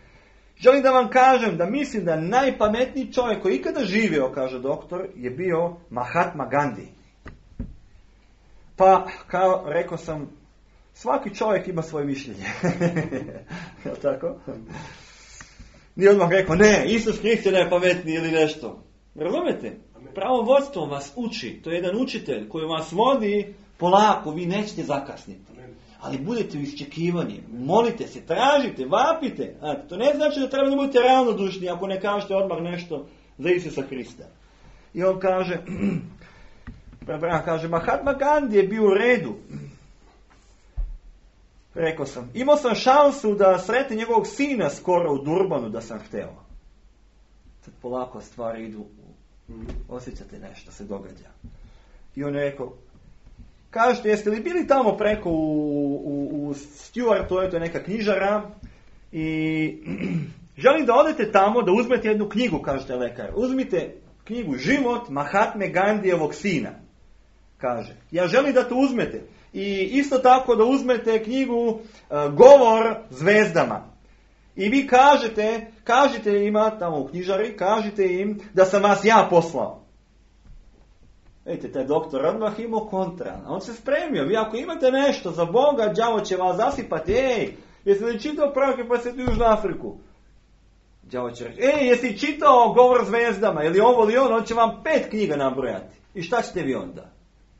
želim da vam kažem da mislim da najpametniji čovjek koji ikada živio, kaže doktor, je bio Mahatma Gandhi. Pa, kao rekao sam, Svaki čovjek ima svoje mišljenje. Jel tako? Nije odmah rekao, ne, Isus Krist je najpametniji ili nešto. Razumete? Pravo vodstvo vas uči. To je jedan učitelj koji vas vodi polako, vi nećete zakasniti. Ali budete u iščekivanju, molite se, tražite, vapite. A, to ne znači da treba da budete ravnodušni ako ne kažete odmah nešto za Isusa Krista. I on kaže, kaže, Mahatma Gandhi je bio u redu. Rekao sam, imao sam šansu da sretne njegovog sina skoro u Durbanu da sam hteo. Sad polako stvari idu, osjećate nešto se događa. I on je rekao, kažete, jeste li bili tamo preko u, u, u Stuart, to je, to je neka knjižara, i želim da odete tamo da uzmete jednu knjigu, kažete lekar. Uzmite knjigu Život Mahatme Gandijevog sina. Kaže, ja želim da to uzmete. I isto tako da uzmete knjigu uh, Govor zvezdama. I vi kažete, kažete ima tamo u knjižari, kažete im da sam vas ja poslao. Vidite, taj doktor odmah imao kontra. On se spremio. Vi ako imate nešto za Boga, đavo će vas zasipati. Ej, jesi li čitao proroke pa se tu Južnu Afriku? Đavo će reći, ej, jesi čitao Govor zvezdama? Ili ovo ili ono, on će vam pet knjiga nabrojati. I šta ćete vi onda?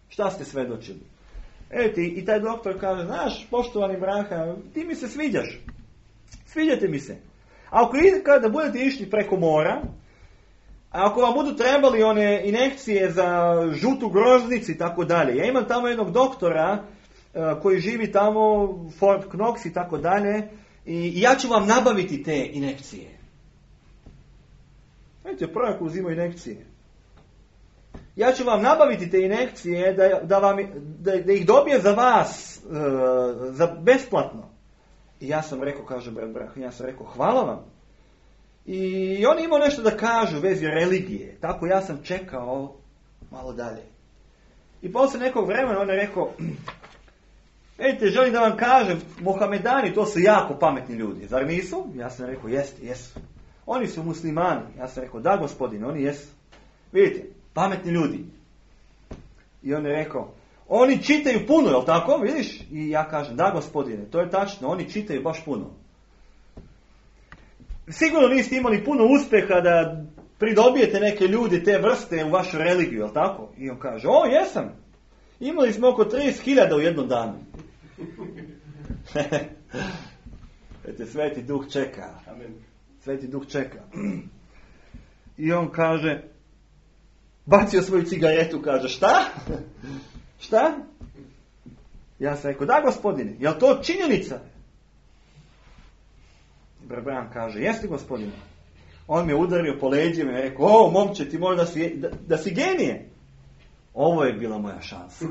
Šta ste svedočili? Evo i taj doktor kaže, znaš, poštovani braha, ti mi se sviđaš. Sviđate mi se. A ako kada budete išli preko mora, a ako vam budu trebali one injekcije za žutu groznicu i tako dalje. Ja imam tamo jednog doktora uh, koji živi tamo, Fort Knox i tako dalje, i ja ću vam nabaviti te injekcije. Vidite, prorok uzima injekcije. Ja ću vam nabaviti te injekcije da, da, vam, da, da ih dobije za vas uh, za besplatno. I ja sam rekao, kaže brat Brah, ja sam rekao, hvala vam. I on imao nešto da kažu u vezi religije. Tako ja sam čekao malo dalje. I posle nekog vremena on je rekao, vidite, želim da vam kažem, Mohamedani, to su jako pametni ljudi. Zar nisu? Ja sam rekao, jeste, jesu. Oni su muslimani. Ja sam rekao, da gospodine, oni jesu. Vidite, pametni ljudi. I on je rekao, oni čitaju puno, jel tako? Vidiš? I ja kažem, da gospodine, to je tačno, oni čitaju baš puno. Sigurno niste imali puno uspjeha da pridobijete neke ljudi te vrste u vašu religiju, jel tako? I on kaže, o, jesam. Imali smo oko trideset hiljada u jednom danu. Vidite, Sveti Duh čeka. Amen. Sveti Duh čeka. I on kaže, bacio svoju cigaretu, kaže, šta? Šta? Ja sam rekao, da gospodine, je li to činjenica? Brbran kaže, jeste gospodine. On me udario po leđima i rekao, o momče, ti možda si, da, da si genije. Ovo je bila moja šansa.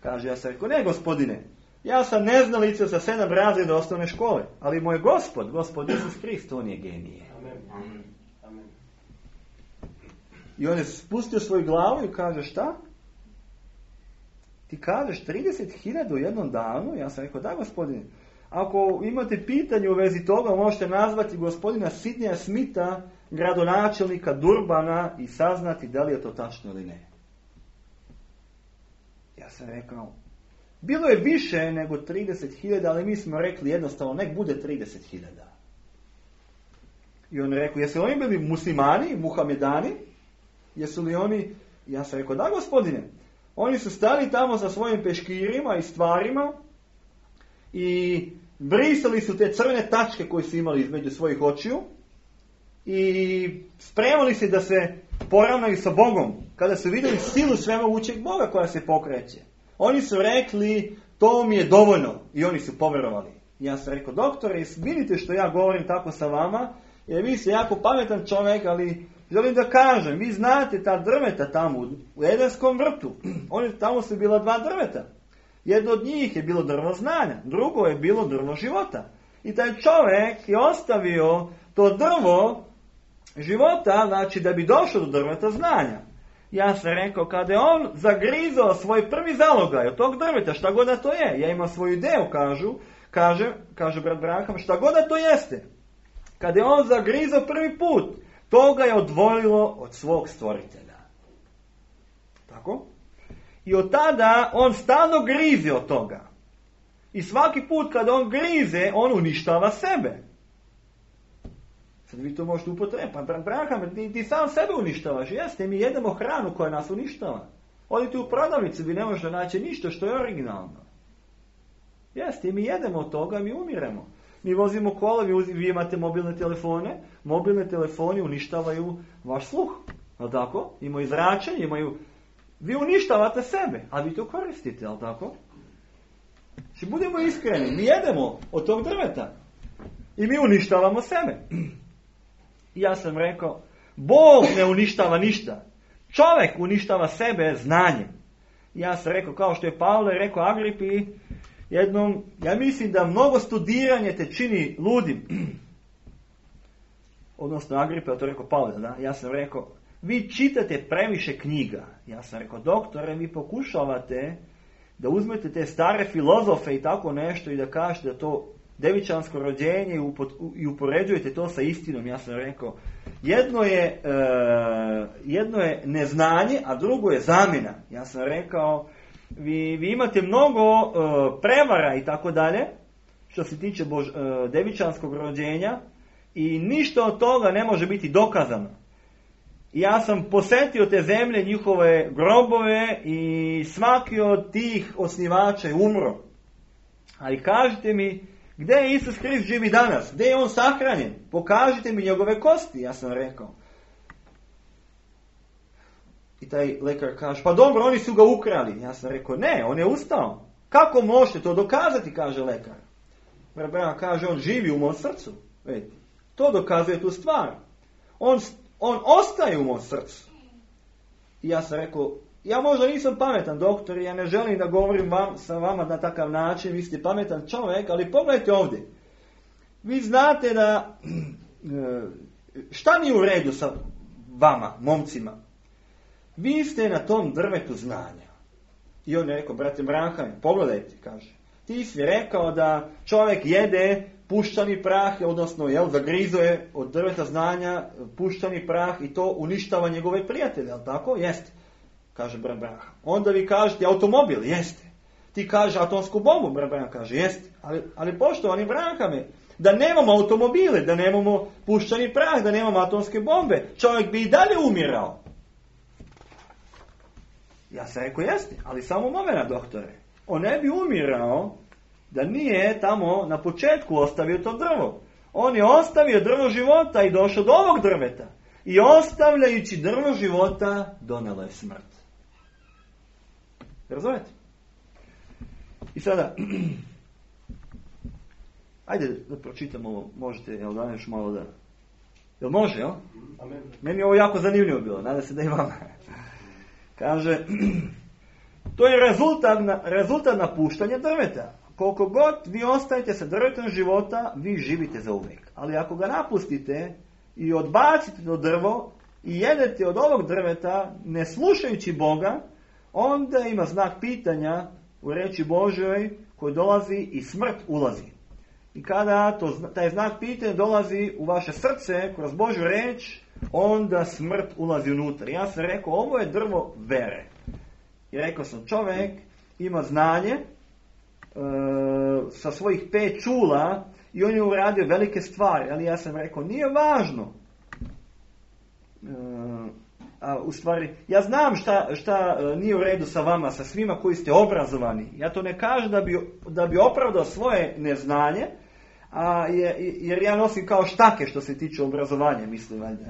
Kaže, ja sam rekao, ne gospodine, ja sam neznalica sa sedam razreda osnovne škole, ali moj gospod, gospod Isus Krist, on je genije. Amen. Amen. I on je spustio svoju glavu i kaže, šta? Ti kažeš trideset hiljada u jednom danu? Ja sam rekao, da gospodine. Ako imate pitanje u vezi toga, možete nazvati gospodina Sidneya Smitha, gradonačelnika Durbana, i saznati da li je to tačno ili ne. Ja sam rekao, bilo je više nego trideset hiljada, ali mi smo rekli jednostavno, nek bude trideset hiljada. I on rekao, jesu li oni bili muslimani, muhamedani? Jesu li oni? Ja sam rekao, da gospodine. Oni su stali tamo sa svojim peškirima i stvarima i brisali su te crvene tačke koje su imali između svojih očiju i spremali se da se poravnaju sa Bogom kada su vidjeli silu svemogućeg Boga koja se pokreće. Oni su rekli, to mi je dovoljno, i oni su povjerovali. Ja sam rekao, doktore, vidite što ja govorim tako sa vama, jer vi ste jako pametan čovjek, ali želim da kažem, vi znate ta drveta tamo u Edenskom vrtu. Oni, tamo su bila dva drveta. Jedno od njih je bilo drvo znanja, drugo je bilo drvo života. I taj čovjek je ostavio to drvo života, znači da bi došao do drveta znanja. Ja sam rekao, kada je on zagrizao svoj prvi zalogaj od tog drveta, šta god da to je, ja imam svoju ideju, kažu, kaže, kaže brat Braham, šta god da to jeste. Kada je on zagrizao prvi put, to ga je odvojilo od svog stvoritelja. Tako? I od tada on stalno grize od toga. I svaki put kad on grize, on uništava sebe. Sad vi to možete upotrebiti. Pa Abraham, ti, ti sam sebe uništavaš. Jeste, mi jedemo hranu koja nas uništava. Odite u prodavnicu, vi ne možete naći ništa što je originalno. Jeste, mi jedemo od toga, mi umiremo. Mi vozimo kola, vi, vi imate mobilne telefone. Mobilne telefoni uništavaju vaš sluh. Ali tako? Imaju zračenje, imaju... Vi uništavate sebe, a vi to koristite, ali tako? Znači, budemo iskreni, mi jedemo od tog drveta. I mi uništavamo sebe. I ja sam rekao, Bog ne uništava ništa. Čovjek uništava sebe znanjem. I ja sam rekao, kao što je Pavle rekao Agripi, jednom, ja mislim da mnogo studiranje te čini ludim. Odnosno Agripa, to je rekao Pavle, da? Ja sam rekao, vi čitate previše knjiga. Ja sam rekao, doktore, vi pokušavate da uzmete te stare filozofe i tako nešto i da kažete da to devičansko rođenje i upoređujete to sa istinom. Ja sam rekao, jedno je, uh, jedno je neznanje, a drugo je zamjena. Ja sam rekao, vi, vi imate mnogo uh, prevara i tako dalje, što se tiče bož, uh, devičanskog rođenja i ništa od toga ne može biti dokazano. Ja sam posjetio te zemlje, njihove grobove i svaki od tih osnivača je umro. Ali kažite mi, gdje je Isus Krist živi danas? Gdje je on sahranjen? Pokažite mi njegove kosti, ja sam rekao. I taj lekar kaže, pa dobro, oni su ga ukrali. Ja sam rekao, ne, on je ustao. Kako možete to dokazati, kaže lekar. Bra kaže, on živi u mom srcu. Vidite, to dokazuje tu stvar. On On ostaje u mom srcu. I ja sam rekao, ja možda nisam pametan doktor, ja ne želim da govorim vam, sa vama na takav način, vi ste pametan čovjek, ali pogledajte ovdje. Vi znate da, šta nije u redu sa vama, momcima? Vi ste na tom drvetu znanja. I on je rekao, brate Abraham, pogledajte, kaže. Ti si rekao da čovjek jede puščani prah, odnosno jel, zagrizuje od drveta znanja puščani prah i to uništava njegove prijatelje, jel tako? Jeste, kaže Abraham. Onda vi kažete automobil, jeste. Ti kaže atomsku bombu, Abraham kaže, jeste. Ali, ali poštovani Abrahame, da nemamo automobile, da nemamo puščani prah, da nemamo atomske bombe, čovjek bi i dalje umirao. Ja sam rekao, jeste, ali samo momena, doktore. On ne bi umirao da nije tamo na početku ostavio to drvo. On je ostavio drvo života i došao do ovog drveta. I ostavljajući drvo života, donela je smrt. Razumete? I sada, ajde da pročitam ovo, možete, jel da još malo da... Jel može, jel? Amen. Meni je ovo jako zanimljivo bilo, nadam se da i vama. Kaže, to je rezultat, rezultat napuštanja drveta. Koliko god vi ostajete sa drvetom života, vi živite za uvijek. Ali ako ga napustite i odbacite to drvo i jedete od ovog drveta, ne slušajući Boga, onda ima znak pitanja u riječi Božoj koji dolazi i smrt ulazi. I kada to, taj znak pitanja dolazi u vaše srce kroz Božju riječ, onda smrt ulazi unutra. Ja sam rekao, ovo je drvo vere. I rekao sam, čovjek ima znanje, sa svojih pet čula i on je uradio velike stvari, ali ja sam rekao, nije važno. A, u stvari, ja znam šta, šta nije u redu sa vama, sa svima koji ste obrazovani. Ja to ne kažem da bi, da bi opravdao svoje neznanje, a je, jer ja nosim kao štake što se tiče obrazovanja, mislim valjda.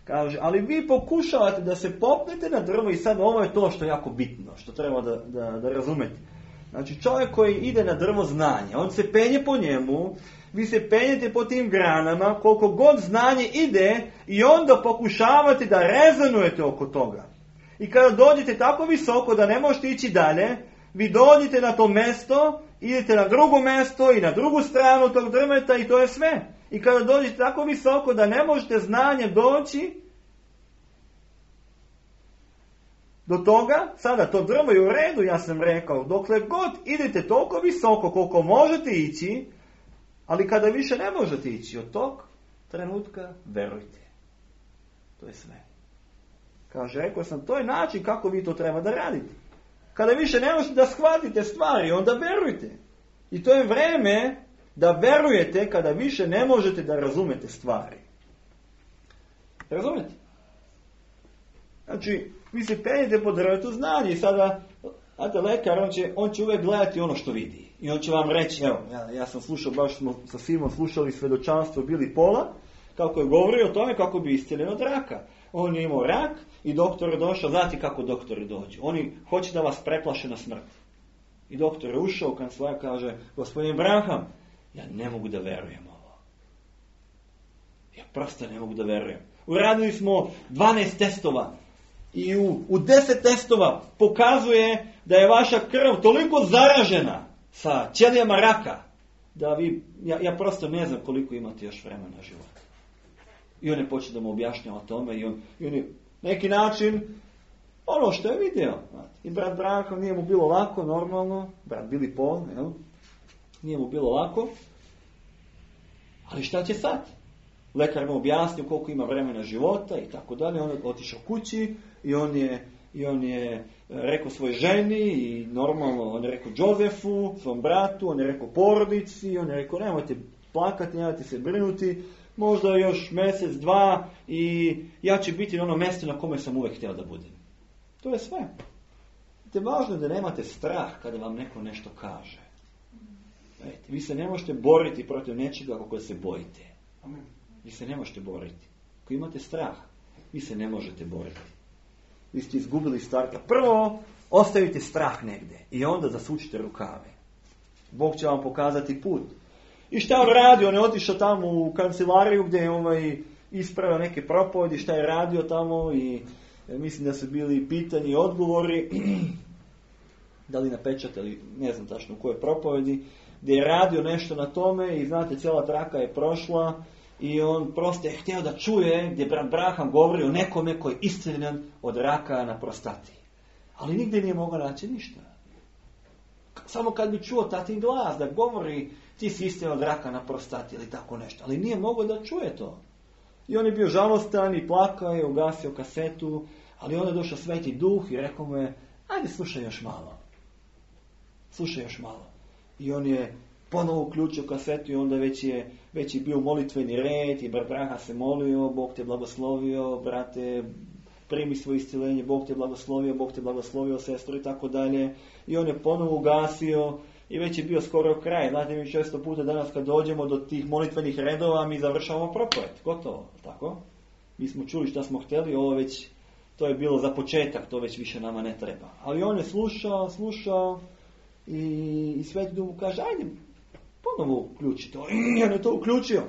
Kaže, ali vi pokušavate da se popnete na drvo i sad ovo je to što je jako bitno, što treba da, da, da razumete. Znači čovjek koji ide na drvo znanja, on se penje po njemu, vi se penjete po tim granama, koliko god znanje ide i onda pokušavate da rezonujete oko toga. I kada dođete tako visoko da ne možete ići dalje, vi dođete na to mjesto, idete na drugo mjesto i na drugu stranu tog drveta i to je sve. I kada dođete tako visoko da ne možete znanje doći do toga, sada to drvo je u redu, ja sam rekao, dokle god idete toliko visoko koliko možete ići, ali kada više ne možete ići od tog trenutka, verujte. To je sve. Kaže, rekao sam, to je način kako vi to treba da radite. Kada više ne možete da shvatite stvari, onda verujte. I to je vreme da verujete kada više ne možete da razumete stvari. Razumete? Znači, vi se penjete po drvetu znanja i sada, znate, lekar, on će, on će uvijek gledati ono što vidi. I on će vam reći, evo, ja, ja sam slušao, baš smo sa Simom slušali svedočanstvo Bili Pola, kako je govorio o tome kako bi isceljen od raka. On je imao rak i doktor je došao, znate kako doktori dođu. Oni hoće da vas preplaše na smrt. I doktor je ušao u kancelariju, kaže, gospodin Branham, ja ne mogu da verujem ovo. Ja prosto ne mogu da verujem. Uradili smo dvanaest testova i u, u deset testova pokazuje da je vaša krv toliko zaražena sa ćelijama raka da vi, ja, ja prosto ne znam koliko imate još vremena života. I on je počeo da mu objašnjava o tome i on, i on je neki način ono što je vidio. I brat Branham nije mu bilo lako, normalno, brat Bili Paul, jel? Nije mu bilo lako. Ali šta će sad? Lekar mu objasnio koliko ima vremena života i tako dalje. On je otišao kući i on je, i on je rekao svojoj ženi i normalno on je rekao Josefu, svom bratu, on je rekao porodici, on je rekao nemojte plakati, nemojte se brinuti, možda još mjesec, dva i ja ću biti na ono mjesto na kome sam uvijek htio da budem. To je sve. Te važno je da nemate strah kada vam neko nešto kaže. Ejte, vi se ne možete boriti protiv nečega kako se bojite. Amen. Vi se ne možete boriti. Ako imate strah, vi se ne možete boriti. Vi ste izgubili starta. Prvo, ostavite strah negdje i onda zasučite rukave. Bog će vam pokazati put. I šta on radio? On je otišao tamo u kancelariju gdje je ovaj ispravio neke propovedi, šta je radio tamo i mislim da su bili pitanje i odgovori. Da li napečatali, ne znam tačno u kojoj propovedi, gdje je radio nešto na tome i znate, cijela traka je prošla i on prosto je htio da čuje gdje brat Branham govori o nekome koji je isceljen od raka na prostati. Ali nigdje nije mogao naći ništa. Samo kad bi čuo tatin glas da govori ti si isceljen od raka na prostati ili tako nešto. Ali nije mogao da čuje to. I on je bio žalostan i plakao i ugasio kasetu, ali onda je došao Sveti Duh i rekao mu je, ajde slušaj još malo. Slušaj još malo. I on je ponovo uključio kasetu i onda već je, već je bio molitveni red i brat Branham se molio, Bog te blagoslovio, brate, primi svoje iscjeljenje, Bog te blagoslovio, Bog te blagoslovio, sestro i tako dalje. I on je ponovo ugasio i već je bio skoro kraj. Znate, mi često puta danas kad dođemo do tih molitvenih redova, mi završavamo propoved. Gotovo, tako? Mi smo čuli šta smo htjeli, ovo već, to je bilo za početak, to već više nama ne treba. Ali on je slušao, slušao i, i Sveti Duh mu kaže, ajde, ponovo uključi to. I on je to uključio.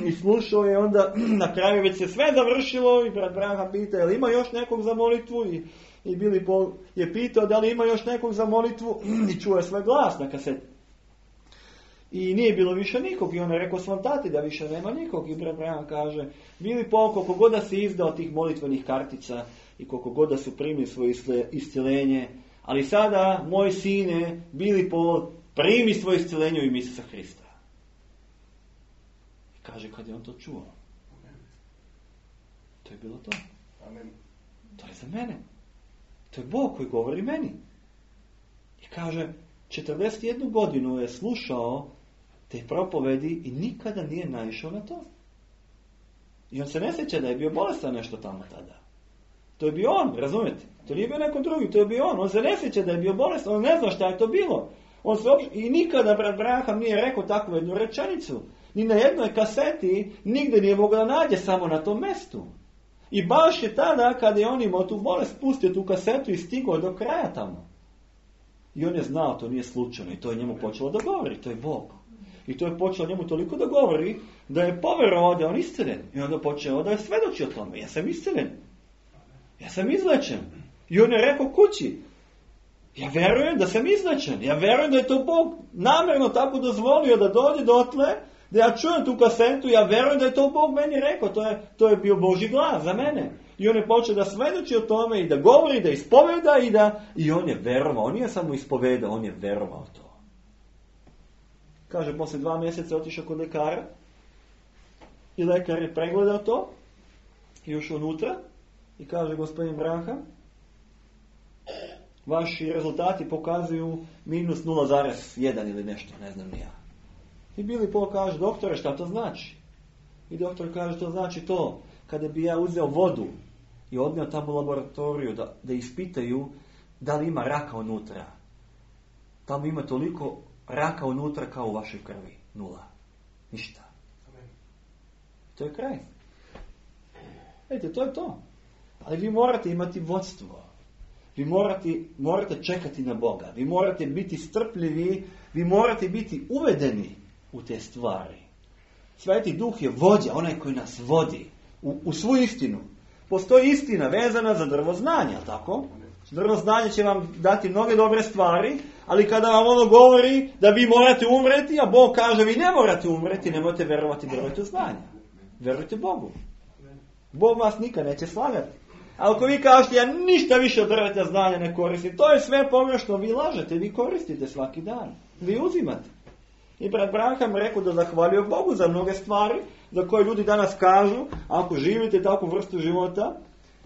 I slušao je onda, na kraju već se sve završilo i brat Branham pita, je li ima još nekog za molitvu? I, i Bili Paul je pitao da li ima još nekog za molitvu i čuo je svoj glas na kaseti. I nije bilo više nikog i on je rekao svom tati da više nema nikog i brat Branham kaže, Bili Paul, koliko god da si izdao tih molitvenih kartica i koliko god da su primili svoje iscjelenje, ali sada, moj sine, Bili Paul, primi svoje iscjelenje u ime Isusa Hrista. I kaže kad je on to čuo. Amen. To je bilo to. Amen. To je za mene. To je Bog koji govori meni. I kaže, četrdeset jednu godinu je slušao te propovedi i nikada nije naišao na to. I on se ne sjeća da je bio bolestan nešto tamo tada. To je bio on, razumijete? To nije bio neko drugi, to je bio on. On se ne sjeća da je bio bolestan, on ne zna šta je to bilo. On se uopšte, i nikada brat Branham nije rekao takvu jednu rečenicu. Ni na jednoj kaseti nigdje nije mogao da nađe samo na tom mjestu. I baš je tada kada je on imao tu bolest pustio tu kasetu i stigao do kraja tamo. I on je znao, to nije slučajno i to je njemu počelo da govori, to je Bog. I to je počelo njemu toliko da govori da je povjerovao da je on isceljen. I onda počeo da je svedoči o tome. Ja sam isceljen. Ja sam izlečen. I on je rekao kući. Ja vjerujem da sam izlečen. Ja vjerujem da je to Bog namjerno tako dozvolio da dođe dotle, da ja čujem tu kasetu, ja vjerujem da je to Bog meni rekao. To je, to je bio Božji glas za mene. I on je počeo da svedoči o tome i da govori, da ispoveda i da... I on je vjerovao. On nije samo ispovedao, on je vjerovao to. Kaže, poslije dva mjeseca otišao kod lekara i lekar je pregledao to i ušao unutra i kaže, gospodin Branham, Vaši rezultati pokazuju minus nula zarez jedan ili nešto, ne znam ni ja. I Billy Paul kaže, doktore, šta to znači? I doktor kaže, to znači to, kada bi ja uzeo vodu i odneo tamo u laboratoriju da, da ispitaju da li ima raka unutra. Tamo ima toliko raka unutra kao u vašoj krvi. Nula. Ništa. Amen. To je kraj. Vidite, to je to. Ali vi morate imati vodstvo. Vi morate, morate čekati na Boga. Vi morate biti strpljivi. Vi morate biti uvedeni u te stvari. Sveti Duh je vođa, onaj koji nas vodi u, u svu istinu. Postoji istina vezana za drvo znanja, tako? Drvo znanje će vam dati mnoge dobre stvari, ali kada vam ono govori da vi morate umreti, a Bog kaže vi ne morate umreti, nemojte verovati drvetu znanja. Verujte Bogu. Bog vas nikad neće slagati. A ako vi kažete ja ništa više od drveta znanja ne koristim, to je sve pogrešno, vi lažete, vi koristite svaki dan. Vi uzimate. I brat Branham rekao da zahvalio Bogu za mnoge stvari za koje ljudi danas kažu, ako živite takvu vrstu života,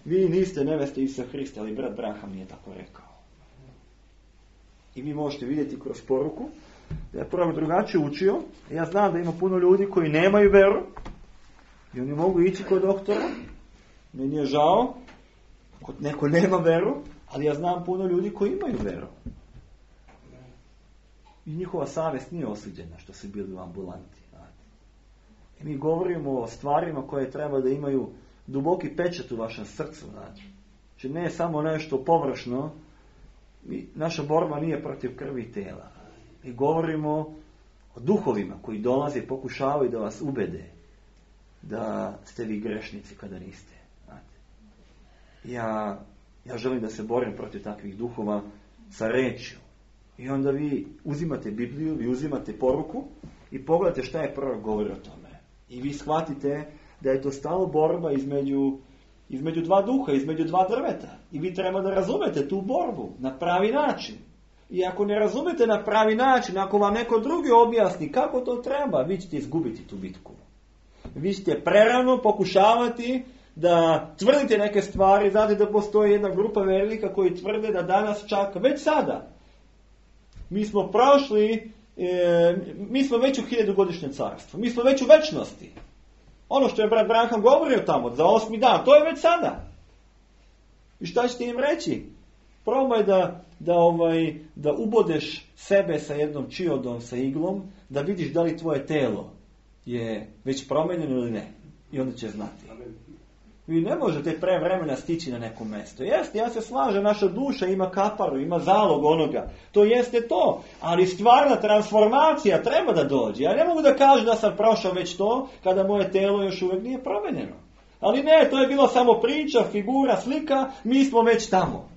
vi niste neveste Isusa Hrista, ali brat Branham nije tako rekao. I vi možete vidjeti kroz poruku da je prvo drugačije učio. Ja znam da ima puno ljudi koji nemaju veru i oni mogu ići kod doktora. Meni je žao, kod neko nema veru, ali ja znam puno ljudi koji imaju veru. I njihova savjest nije osuđena što su bili u ambulanti. I mi govorimo o stvarima koje treba da imaju duboki pečat u vašem srcu. Znači ne samo nešto površno. Mi, naša borba nije protiv krvi i tela. Mi govorimo o duhovima koji dolaze i pokušavaju da vas ubede da ste vi grešnici kada niste. Znate. Ja, ja želim da se borim protiv takvih duhova sa rečju. I onda vi uzimate Bibliju, vi uzimate poruku i pogledate šta je prorok govori o tome. I vi shvatite da je to stalno borba između, između dva duha, između dva drveta. I vi treba da razumete tu borbu na pravi način. I ako ne razumete na pravi način, ako vam neko drugi objasni kako to treba, vi ćete izgubiti tu bitku. Vi ćete prerano pokušavati da tvrdite neke stvari. Znate da postoji jedna grupa velika koji tvrde da danas čak, već sada, mi smo prošli, e, mi smo već u hiljadugodišnjem carstvu. Mi smo već u večnosti. Ono što je brat Branham govorio tamo, za osmi dan, to je već sada. I šta ćete im reći? Probaj da, da, ovaj, da ubodeš sebe sa jednom čiodom, sa iglom, da vidiš da li tvoje telo je već promenjeno ili ne. I onda će znati. Vi ne možete pre vremena stići na neko mjesto. Jeste, ja se slažem, naša duša ima kaparu, ima zalog onoga. To jeste to. Ali stvarna transformacija treba da dođe. Ja ne mogu da kažem da sam prošao već to, kada moje telo još uvijek nije promenjeno. Ali ne, to je bilo samo priča, figura, slika, mi smo već tamo.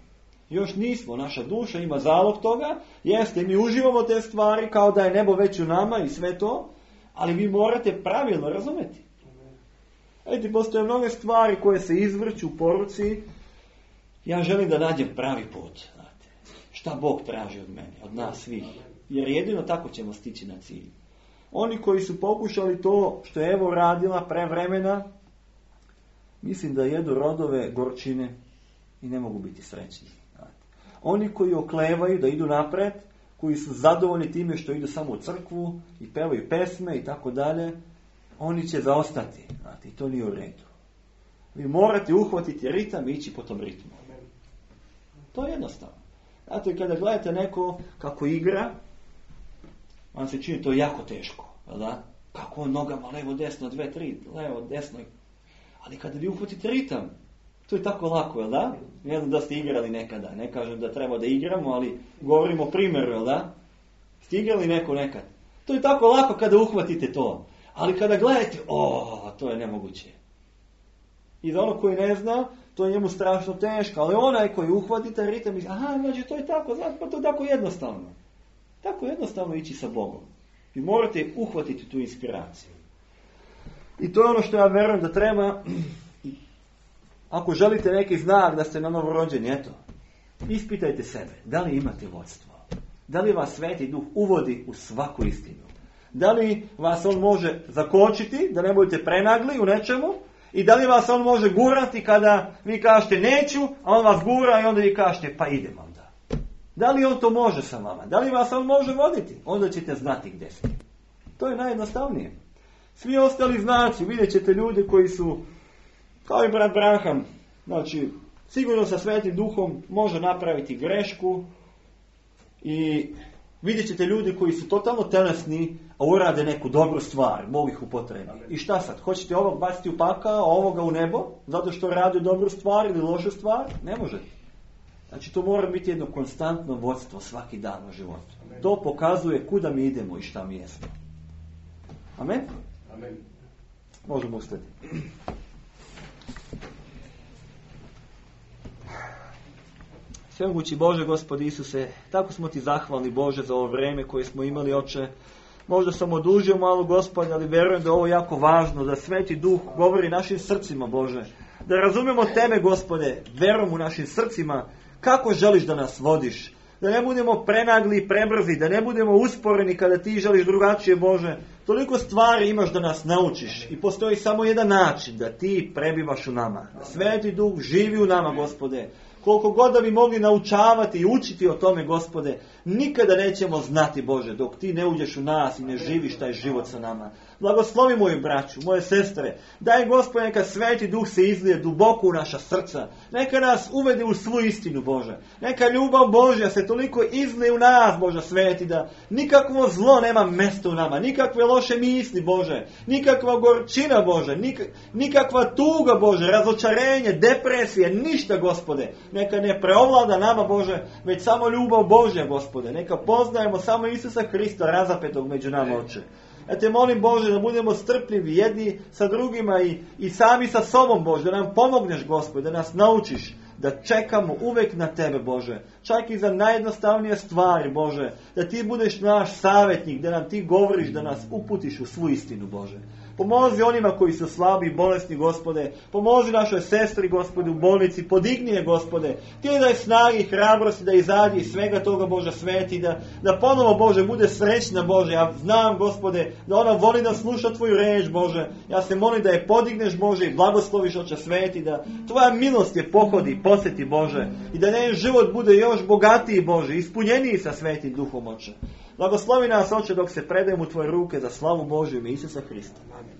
Još nismo, naša duša ima zalog toga. Jeste, mi uživamo te stvari kao da je nebo već u nama i sve to. Ali vi morate pravilno razumjeti. Vidite, postoje mnoge stvari koje se izvrću u poruci. Ja želim da nađem pravi put. Znate. Šta Bog traži od mene, od nas svih. Jer jedino tako ćemo stići na cilj. Oni koji su pokušali to što je Evo radila pre vremena, mislim da jedu rodove gorčine i ne mogu biti srećni. Znate. Oni koji oklevaju da idu napred, koji su zadovoljni time što idu samo u crkvu i pevaju pesme i tako dalje, oni će zaostati. Znate, i to nije u redu. Vi morate uhvatiti ritam i ići po tom ritmu. To je jednostavno. Znate, kada gledate neko kako igra, vam se čini to jako teško. Da? Kako on nogama, levo, desno, dve, tri, levo, desno. Ali kada vi uhvatite ritam, to je tako lako, jel da? Ne znam da ste igrali nekada. Ne kažem da treba da igramo, ali govorimo o primjeru, jel da? Ste igrali neko nekad? To je tako lako kada uhvatite to. Ali kada gledate, o, to je nemoguće. I za ono koji ne zna, to je njemu strašno teško. Ali onaj koji uhvati taj ritam, misli, aha, znači to je tako, znači, pa to je tako jednostavno. Tako jednostavno ići sa Bogom. Vi morate uhvatiti tu inspiraciju. I to je ono što ja verujem da treba, ako želite neki znak da ste na novo rođeni, eto, ispitajte sebe, da li imate vodstvo? Da li vas Sveti Duh uvodi u svaku istinu? Da li vas on može zakočiti, da ne budete prenagli u nečemu? I da li vas on može gurati kada vi kažete neću, a on vas gura i onda vi kažete pa idem onda. Da li on to može sa vama? Da li vas on može voditi? Onda ćete znati gdje ste. To je najjednostavnije. Svi ostali znaci, vidjet ćete ljude koji su, kao i brat Branham, znači, sigurno sa Svetim Duhom može napraviti grešku i vidjet ćete ljudi koji su totalno telesni, a urade neku dobru stvar, Bog ih upotrebi. I šta sad? Hoćete ovog baciti u pakao, a ovoga u nebo, zato što radi dobru stvar ili lošu stvar? Ne možete. Znači, to mora biti jedno konstantno vodstvo svaki dan u životu. To pokazuje kuda mi idemo i šta mi jesmo. Amen? Amen. Možemo ustati. Svemogući Bože, Gospod Isuse, tako smo ti zahvalni, Bože, za ovo vreme koje smo imali, Oče. Možda sam odužio malo, Gospod, ali verujem da je ovo jako važno, da Sveti Duh govori našim srcima, Bože. Da razumemo Tebe, Gospode, verom u našim srcima, kako želiš da nas vodiš. Da ne budemo prenagli i prebrzi, da ne budemo usporeni kada ti želiš drugačije, Bože. Toliko stvari imaš da nas naučiš i postoji samo jedan način da ti prebivaš u nama. Da Sveti Duh živi u nama, Gospode. Koliko god da bi mogli naučavati i učiti o tome, Gospode, nikada nećemo znati, Bože, dok ti ne uđeš u nas i ne živiš taj život sa nama. Blagoslovi moju braću, moje sestre. Daj, Gospode, neka Sveti Duh se izlije duboko u naša srca. Neka nas uvede u svu istinu, Bože. Neka ljubav Božja se toliko izlije u nas, Bože Sveti, da nikakvo zlo nema mjesta u nama. Nikakve loše misli, Bože. Nikakva gorčina, Bože. Nik, nikakva tuga, Bože. Razočarenje, depresije, ništa, Gospode. Neka ne preovlada nama, Bože, već samo ljubav Božja, Gospode. Neka poznajemo samo Isusa Hrista razapetog među nama, Oče. Ja te molim, Bože, da budemo strpljivi jedni sa drugima i, i sami sa sobom, Bože, da nam pomogneš, Gospode, da nas naučiš da čekamo uvek na Tebe, Bože. Čak i za najjednostavnije stvari, Bože, da Ti budeš naš savjetnik, da nam Ti govoriš, da nas uputiš u svu istinu, Bože. Pomozi onima koji su slabi i bolesni, Gospode. Pomozi našoj sestri, Gospode, u bolnici. Podigni je, Gospode. Ti daj snagi i hrabrosti da izađe iz svega toga, Bože Sveti. Da, da ponovo, Bože, bude srećna, Bože. Ja znam, Gospode, da ona voli da sluša Tvoju reč, Bože. Ja se molim da je podigneš, Bože, i blagosloviš, Oče Sveti. Da Tvoja milost je pohodi i posjeti, Bože. I da njen život bude još bogatiji, Bože. Ispunjeniji sa Svetim Duhom, Oče. Blagoslovi nas, Oče, dok se predajemo u Tvoje ruke za slavu Božju i Isusa Hrista. Amen.